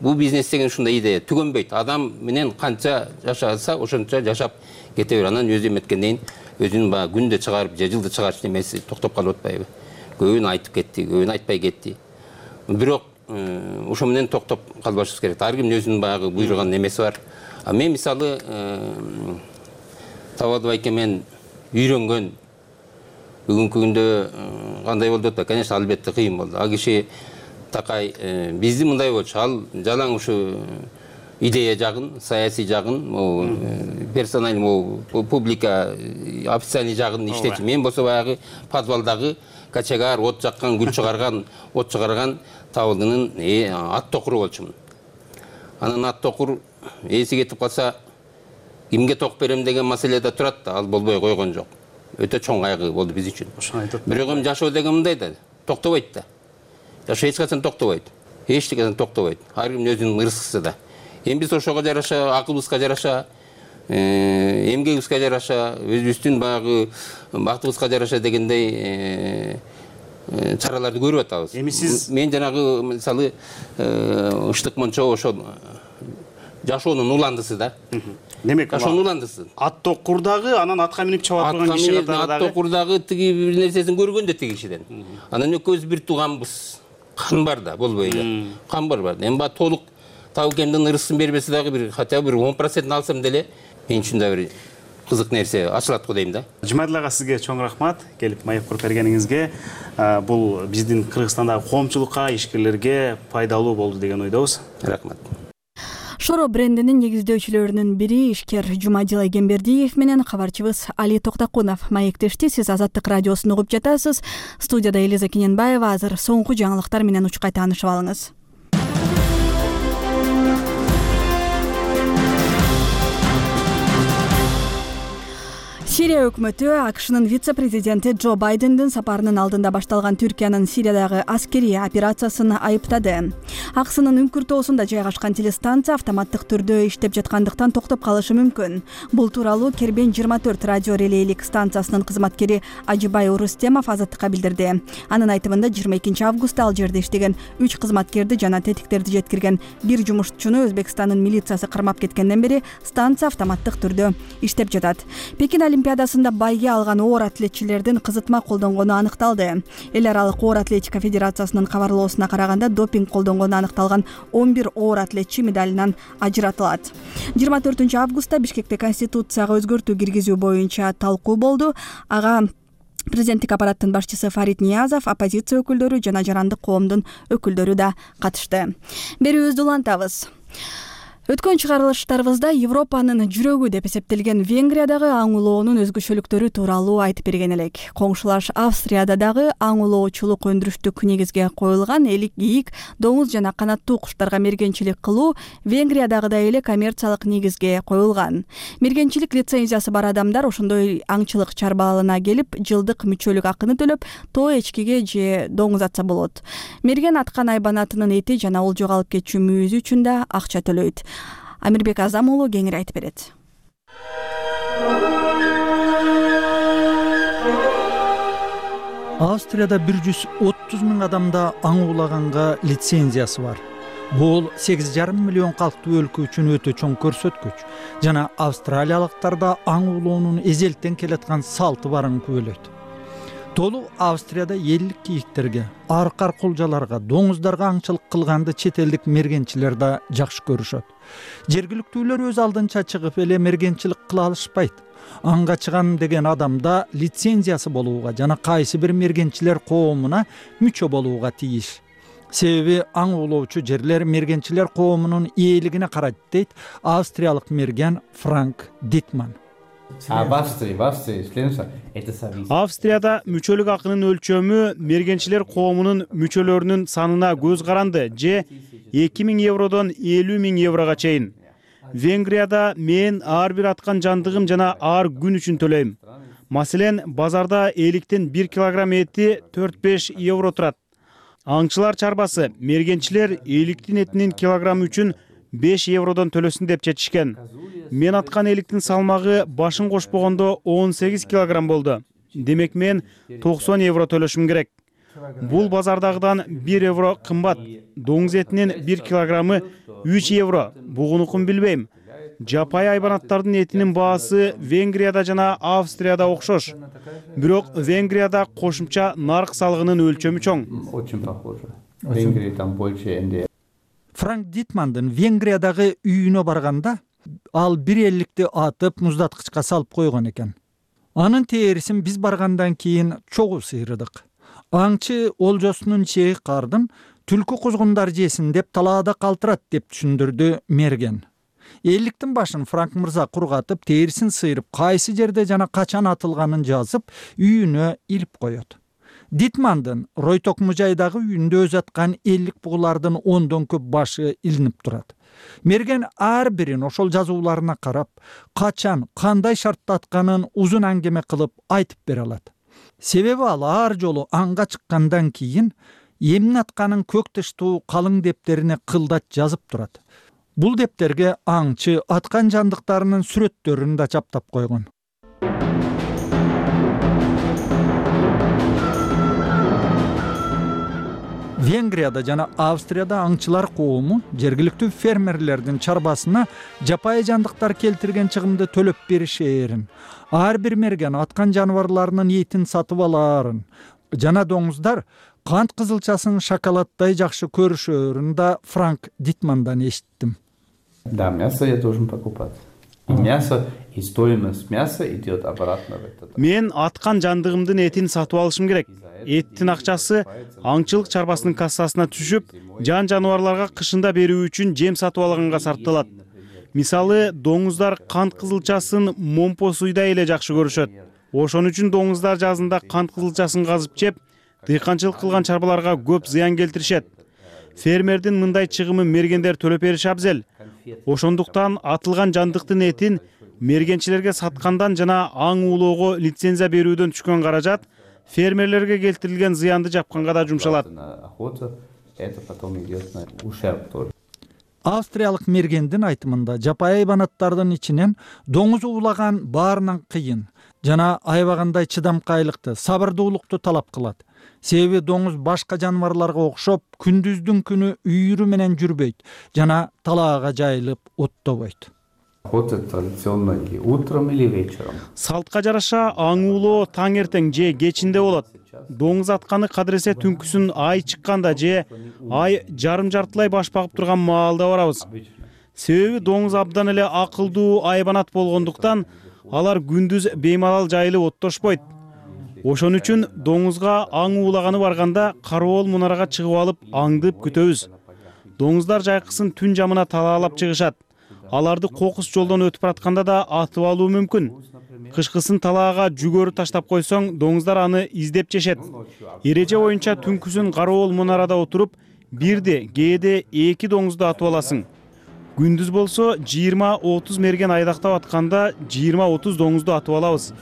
бул бизнес деген ушундай идея түгөнбөйт. Адам менен канча жашаса, ошончо жашап кете бер. Анан өзү эметкенден өзүнүн баягы күндө чыгарып, же жылда чыгарыш немеси токтоп калып атпайбы? Көбүн айтып кетти, көбүн айтпай кетти. Бирок ошо менен токтоп калбашыбыз керек. Ар кимдин өзүнүн баягы буйруган немеси бар. А мен мисалы Табалды байке мен үйрөнгөн бүгүнкү күндө кандай болду деп, конечно, албетте кыйын болду. Ал киши такай бизди мындай болчу, ал жалаң ушу идея жагын, саясий жагын, персональный, публика, официальный жагын иштечи. Мен болсо баягы подвалдагы качагар, от жаккан, гүл чыгарган, от чыгарган Табылдынын ат токуру болчумун. Анан ат токур эси кетип калса, кимге ток берем деген маселе да турат да, ал болбой койгон жок. Өтө чоң кайгы болду биз үчүн. Бирок эми жашоо деген мындай да, токтобойт да. Жашоо эч качан токтобойт. Эч качан токтобойт. Ар кимдин өзүнүн ырыскысы да. Эми биз ошого жараша, акылыбызга жараша, эмгегибизге жараша, өзүбүздүн баягы бактыбызга жараша дегендей чараларды көрүп атабыз. Эми сиз мен жанагы мисалы Ыштык Мончо ошол жашоонун уландысы да. Демек, жашоонун уландысы. Ат токурдагы, анан атка минип чабат турган киши катары дагы. Ат токурдагы тиги бир нерсесин көргөн да тиги кишиден. Анан экөөбүз бир тууганбыз. Кан бар да, болбой эле. Кан бар бар. Эми баягы толук Табылкемдин ырысын бербесе дагы бир хотя бы бир он процент алсам деле мен үчүн да бир кызык нерсе ачылат го дейм да. Жумадил ага, сизге чоң рахмат келип маек куруп бергениңизге. Бул биздин Кыргызстандагы коомчулукка, ишкерлерге пайдалуу болду деген ойдобуз. Рахмат. Шоро брендинин негиздөөчүлөрүнүн бири ишкер Жумадил Айгембердиев менен кабарчыбыз Али Токтакунов маектешти. Сиз Азаттык радиосун угуп жатасыз. Студияда Элиза Кененбаева. Азыр соңку жаңылыктар менен учкай таанышып алыңыз. Сирия өкмөтү АКШнын вице-президенти Джо Байдендин сапарынын алдында башталган Түркиянын Сириядагы аскерий операциясын айыптады. АКШнын үңкүртөосунда жайгашкан телестанция автоматтык түрдө иштеп жаткандыктан токтоп калышы мүмкүн. Бул тууралуу Кербен жыйырма төрт радио релейлик станциясынын кызматкери Ажибай Урустемов Азаттыкка билдирди. Анын айтымында жыйырма экинчи августта ал жерде иштеген үч кызматкерди жана тетиктерди жеткирген бир жумушчуну Өзбекстандын милициясы кармап кеткенден бери станция автоматтык түрдө иштеп жатат. Пекин Олимпиадасында байге алган оор атлетчилердин кызытма колдонгону аныкталды. Эл аралык оор атлетика федерациясынын кабарлоосуна караганда допинг колдонгону аныкталган он бир оор атлетчи медалынан ажыратылат. жыйырма төртүнчү августта Бишкекте конституцияга өзгөртүү киргизүү боюнча талкуу болду. Ага президенттик аппараттын башчысы Фарид Ниязов, оппозиция өкүлдөрү жана жарандык коомдун өкүлдөрү да катышты. Берүүбүздү улантабыз. Өткөн чыгарылыштарыбызда Европанын жүрөгү деп эсептелген Венгриядагы аң улоонун өзгөчөлүктөрү тууралуу айтып берген элек. Коңшулаш Австрияда дагы аң улоочулук өндүрүштүк негизге коюлган элик, ийик, доңуз жана канаттуу куштарга мергенчилик кылуу Венгриядагыдай эле коммерциялык негизге коюлган. Мергенчилик лицензиясы бар адамдар ошондой аңчылык чарбалына келип, жылдык мүчөлүк акыны төлөп, тоо эчкиге же доңуз атса болот. Мерген аткан айбанатынын эти жана ол жоголуп кетчү мүйүзү үчүн да акча төлөйт. Амирбек Азам уулу кеңири айтып берет. Австрияда бир жүз отуз миң адамда аң уулаганга лицензиясы бар. Бул сегиз жарым миллион калктуу өлкө үчүн өтө чоң көрсөткүч. Жана австралиялыктарда аң уулоонун эзелтен келаткан салты барын күбөлөйт. толук Австрияда элдик кийиктерге, аркар кулжаларга, доңуздарга аңчылык кылганды чет элдик мергенчилер да жакшы көрүшөт. Жергиликтүүлөр өз алдынча чыгып эле мергенчилик кыла алышпайт. Анга чыгам деген адамда лицензиясы болууга жана кайсы бир мергенчилер коомуна мүчө болууга тийиш. Себеби аң улоочу жерлер мергенчилер коомунун ээлигине карайт дейт австриялык мерген Франк Дитман. Австрияда мүчөлүк акынын өлчөмү мергенчилер коомунун мүчөлөрүнүн санына көз каранды же эки миң евродон элүү миң еврого чейин. Венгрияда мен ар бир аткан жандыгым жана ар күн үчүн төлөйм. Маселен, базарда эликтен бир килограмм эти төрт беш евро турат. Аңчылар чарбасы мергенчилер эликтин этинин килограммы үчүн беш евродон төлөсүн деп чечишкен. Мен аткан эликтин салмагы башын кошпогондо он сегиз килограмм болду. Демек мен токсон евро төлөшүм керек. Бул базардагыдан бир евро кымбат. Доңуз этинин бир килограммы үч евро. Бугунукун билбейм. Жапай айбанаттардын этинин баасы Венгрияда жана Австрияда окшош. Бирок Венгрияда кошумча нарк салыгынын өлчөмү чоң. Франк Дитмандын Венгриядагы үйүнө барганда ал бир элдикти атып муздаткычка салып койгон экен. Анын терисин биз баргандан кийин чогуу сыйрыдык. Аңчы олжосунун чеги кардын түлкү кузгундар жесин деп талаада калтырат деп түшүндүрдү мерген. Элдиктин башын Франк мырза кургатып, терисин сыйрып, кайсы жерде жана качан атылганын жазып, үйүнө илип коет. Дитмандын Ройток мужайдагы үйүндө өз аткан элдик бугулардын ондон көп башы илинип турат. Мерген ар бирин ошол жазууларына карап, качан, кандай шартта атканын узун аңгеме кылып айтып бере алат. Себеби ал ар жолу аңга чыккандан кийин эмне атканын көк тыштуу калың дептерине кылдат жазып турат. Бул дептерге аңчы аткан жандыктарынын сүрөттөрүн да чаптап койгон. Венгрияда жана Австрияда аңчылар коому жергиликтүү фермерлердин чарбасына жапайы жандыктар келтирген чыгымды төлөп беришээрин, ар бир мерген аткан жаныбарларынын этин сатып алаарын жана доңуздар кант кызылчасын шоколаддай жакшы көрүшөрүн да Франк Дитмандан эшиттим. Да, мясо я должен покупать. И мясо, и стоимость мяса идет обратно в этот. Мен аткан жандыгымдын этин сатып алышым керек. Эттин акчасы аңчылык чарбасынын кассасына түшүп, жан жаныбарларга кышында берүү үчүн жем сатып алганга сарпталат. Мисалы, доңуздар кант кызылчасын момпо суйдай эле жакшы көрүшөт. Ошон үчүн доңуздар жазында кант кызылчасын казып жеп, дыйканчылык кылган чарбаларга көп зыян келтиришет. Фермердин мындай чыгымын мергендер төлөп бериши абзел. Ошондуктан атылган жандыктын этин мергенчилерге саткандан жана аң уулоого лицензия берүүдөн түшкөн каражат фермерлерге келтирилген зыянды жапканга да жумшалат. Австриялык мергендин айтымында жапайы айбанаттардын ичинен доңуз уулаган баарынан кыйын жана айбагандай чыдамкайлыкты, сабырдуулукту талап кылат. Себеби доңуз башка жаныбарларга окшоп күндүздүн күнү үйүрү менен жүрбөйт жана талаага жайылып оттобойт. Салтка жараша аң уулоо таң эртең же кечинде болот. Доңуз атканы кадыресе түнкүсүн ай чыкканда же ай жарым жартылай баш багып турган маалда барабыз. Себеби доңуз абдан эле акылдуу айбанат болгондуктан алар күндүз беймалал жайылып оттошпойт. Ошон үчүн доңузга аң уулаганы барганда кароол мунарага чыгып алып аңдып күтөбүз. Доңуздар жайкысын түн жамына талаалап чыгышат. Аларды кокус жолдон өтүп баратканда да атып алуу мүмкүн. Кышкысын талаага жүгөрү таштап койсоң, доңуздар аны издеп жешет. Эреже боюнча түнкүсүн кароол мунарада отуруп, бирде, кээде эки доңузду атып аласың. Күндүз болсо жыйырма отуз мерген айдактап атканда жыйырма отуз доңузду атып алабыз.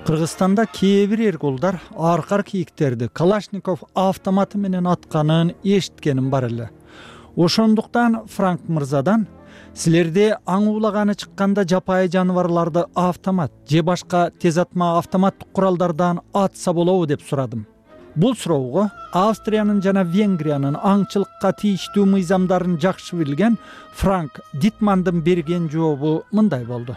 Кыргызстанда кээ бир эркулдар аркар кийиктерди Калашников автоматы менен атканын эшиткеним бар эле. Ошондуктан Франк мырзадан силерде аң уулаганы чыкканда жапайы жаныбарларды автомат же башка тез атма автоматтык куралдардан атса болобу деп сурадым. бул суроого Австриянын жана Венгриянын аңчылыкка тийиштүү мыйзамдарын жакшы билген Франк Дитмандын берген жообу мындай болду.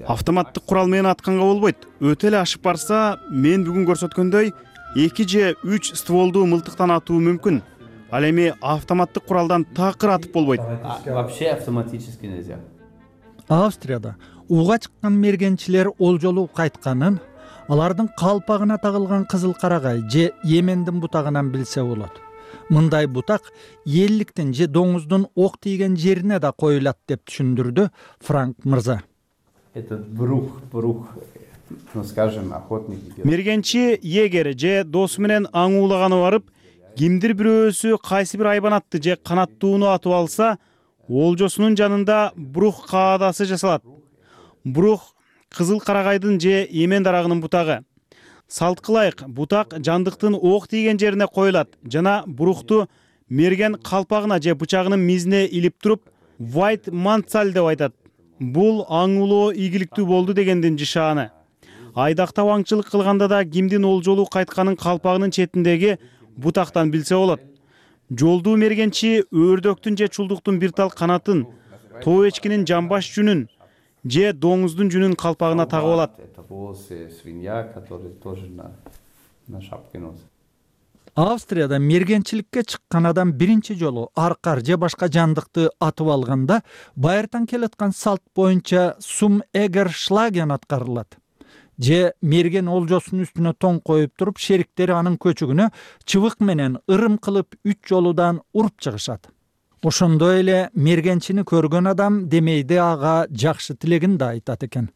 Автоматтык курал менен атканга болбойт. Өтө эле ашып барса, мен бүгүн көрсөткөндөй эки же үч стволдуу мылтыктан атуу мүмкүн. Ал эми автоматтык куралдан такыр атып болбойт. Вообще автоматически нельзя. Австрияда ууга чыккан мергенчилер олжолуу кайтканын алардын калпагына тагылган кызыл карагай же Йемендин бутагынан билсе болот. Мындай бутак элликтин же доңуздун ок тийген жерине да коюлат деп түшүндүрдү Франк мырза. Этот брух, брух, ну скажем, охотник. Мергенчи егер же досу менен аң уулаганы барып, кимдир бирөөсү кайсы бир айбанатты же канаттууну атып алса, олжосунун жанында брух каадасы жасалат. Брух кызыл карагайдын же эмен дарагынын бутагы. Салт кылайык, бутак жандыктын ок тийген жерине коюлат жана брухту мерген калпагына же бычагынын мизине илип туруп, white mantsal деп айтат. Бул аң улоо ийгиликтүү болду дегендин жишааны. Айдактап аңчылык кылганда да кимдин олжолуу кайтканын калпагынын четиндеги бутактан билсе болот. Жолдуу мергенчи өрдөктүн же чулдуктун бир тал канатын, тоо эчкинин жамбаш жүнүн же доңуздун жүнүн калпагына тагып алат. Австрияда мергенчиликке чыккан адам биринчи жолу аркар же башка жандыкты атып алганда байыртан келаткан салт боюнча сум эгер шлаген аткарылат. Же мерген олжосунун үстүнө тоң коюп туруп, шериктери анын көчүгүнө чыбык менен ырым кылып үч жолудан уруп чыгышат. Ошондой эле мергенчини көргөн адам демейде ага жакшы тилегин да айтат экен.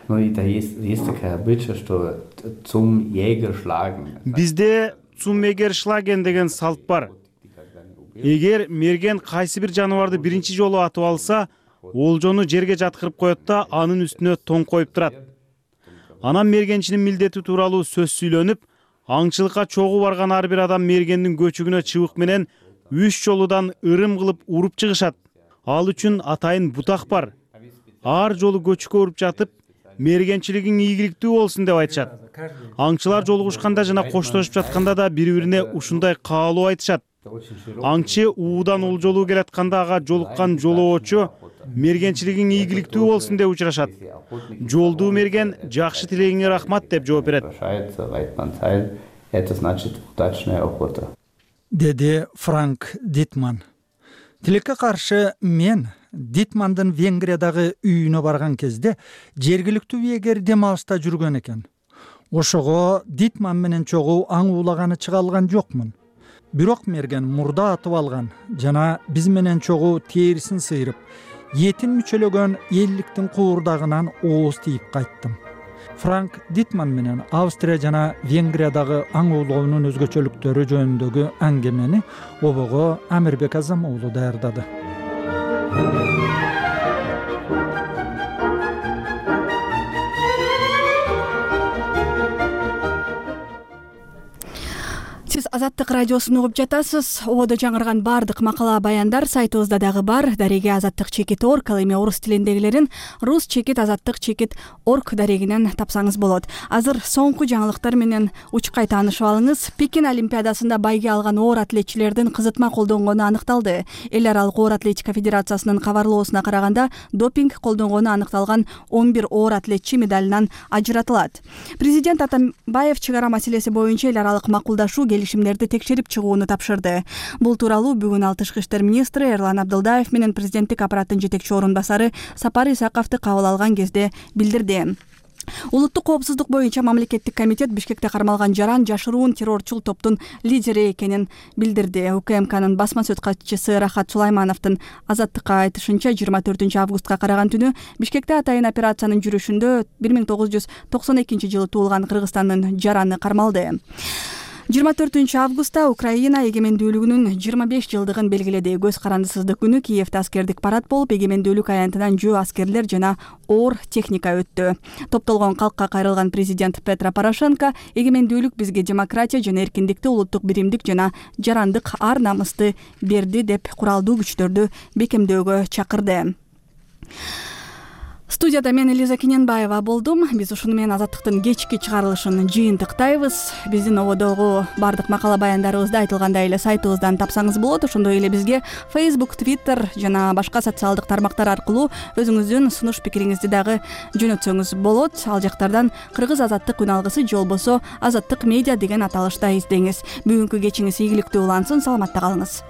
Ну и да есть есть такая обычай, что zum Jäger schlagen. Бизде zum Jäger schlagen деген салт бар. Эгер мерген кайсы бир жаныбарды биринчи жолу атып алса, олжону жерге жаткырып коет да анын үстүнө тоң коюп турат. Анан мергенчинин милдети тууралуу сөз сүйлөнүп, аңчылыкка чогуу барган ар бир адам мергендин көчүгүнө чыбык менен үч жолудан ырым кылып уруп чыгышат. Ал үчүн атайын бутак бар. Ар жолу көчүккө уруп жатып, мергенчилигиң ийгиликтүү болсун деп айтышат. Аңчылар жолугушканда жана коштошуп жатканда да бири-бирине ушундай каалоо айтышат. Аңчы уудан олжолуу келатканда ага жолуккан жолоочу мергенчилигиң ийгиликтүү болсун деп учурашат. Жолдуу мерген жакшы тилегиңе рахмат деп жооп берет. Деди Франк Дитман. Тилекке каршы мен Дитмандын Венгриядагы үйүнө барган кезде жергиликтүү эгер дем алышта жүргөн экен. Ошого Дитман менен чогуу аң уулаганы чыга алган жокмун. Бирок мерген мурда атып алган жана биз менен чогуу терисин сыйрып, этин мүчөлөгөн элликтин куурдагынан ооз тийип кайттым. Франк Дитман менен Австрия жана Венгриядагы аң уулоонун өзгөчөлүктөрү жөнүндөгү аңгемени обого Амирбек Азам уулу даярдады. Сиз Азаттык радиосун угуп жатасыз. Ободо жаңырган бардык макала баяндар сайтыбызда дагы бар. Дареги азаттык чекит орг, ал эми орус тилиндегилерин рус чекит азаттык чекит орг дарегинен тапсаңыз болот. Азыр соңку жаңылыктар менен учкай таанышып алыңыз. Пекин олимпиадасында байге алган оор атлетчилердин кызытма колдонгону аныкталды. Эл аралык оор атлетика федерациясынын кабарлоосуна караганда, допинг колдонгону аныкталган он бир оор атлетчи медалынан ажыратылат. Президент Атамбаев чыгара маселеси боюнча эл аралык макулдашуу келишимдерди текшерип чыгууну тапшырды. Бул тууралуу бүгүн ал тышкы иштер министри Эрлан Абдылдаев менен президенттик аппараттын жетекчи орун басары Сапар Исаковду кабыл алган кезде билдирди. Улуттук коопсуздук боюнча мамлекеттик комитет Бишкекте кармалган жаран жашыруун террорчул топтун лидери экенин билдирди. УКМКнын басма сөз катчысы Рахат Сулаймановдун Азаттыкка айтышынча, жыйырма төртүнчү августка караган түнү Бишкекте атайын операциянын жүрүшүндө бир миң тогуз жүз токсон экинчи жылы туулган Кыргызстандын жараны кармалды. жыйырма төртүнчү августта Украина эгемендүүлүгүнүн жыйырма беш жылдыгын белгиледи. Көз карандысыздык күнү Киевде аскердик парад болуп, эгемендүүлүк аянтынан жөө аскерлер жана оор техника өттү. Топтолгон калкка кайрылган президент Петро Порошенко эгемендүүлүк бизге демократия жана эркиндикти, улуттук биримдик жана жарандык ар намысты берди деп куралдуу күчтөрдү бекемдөөгө чакырды. Студияда мен Элиза Кененбаева болдум. Биз ушуну менен Азаттыктын кечки чыгарылышын жыйынтыктайбыз. Биздин ободогу бардык макала баяндарыбызды айтылгандай эле сайтыбыздан тапсаңыз болот. Ошондой эле бизге Facebook, Twitter жана башка социалдык тармактар аркылуу өзүңүздүн сунуш пикириңизди дагы жөнөтсөңүз болот. Ал жактардан Кыргыз Азаттык үн алгысы же болбосо Азаттык медиа деген аталышта издеңиз. Бүгүнкү кечиңиз ийгиликтүү улансын. Саламатта калыңыз.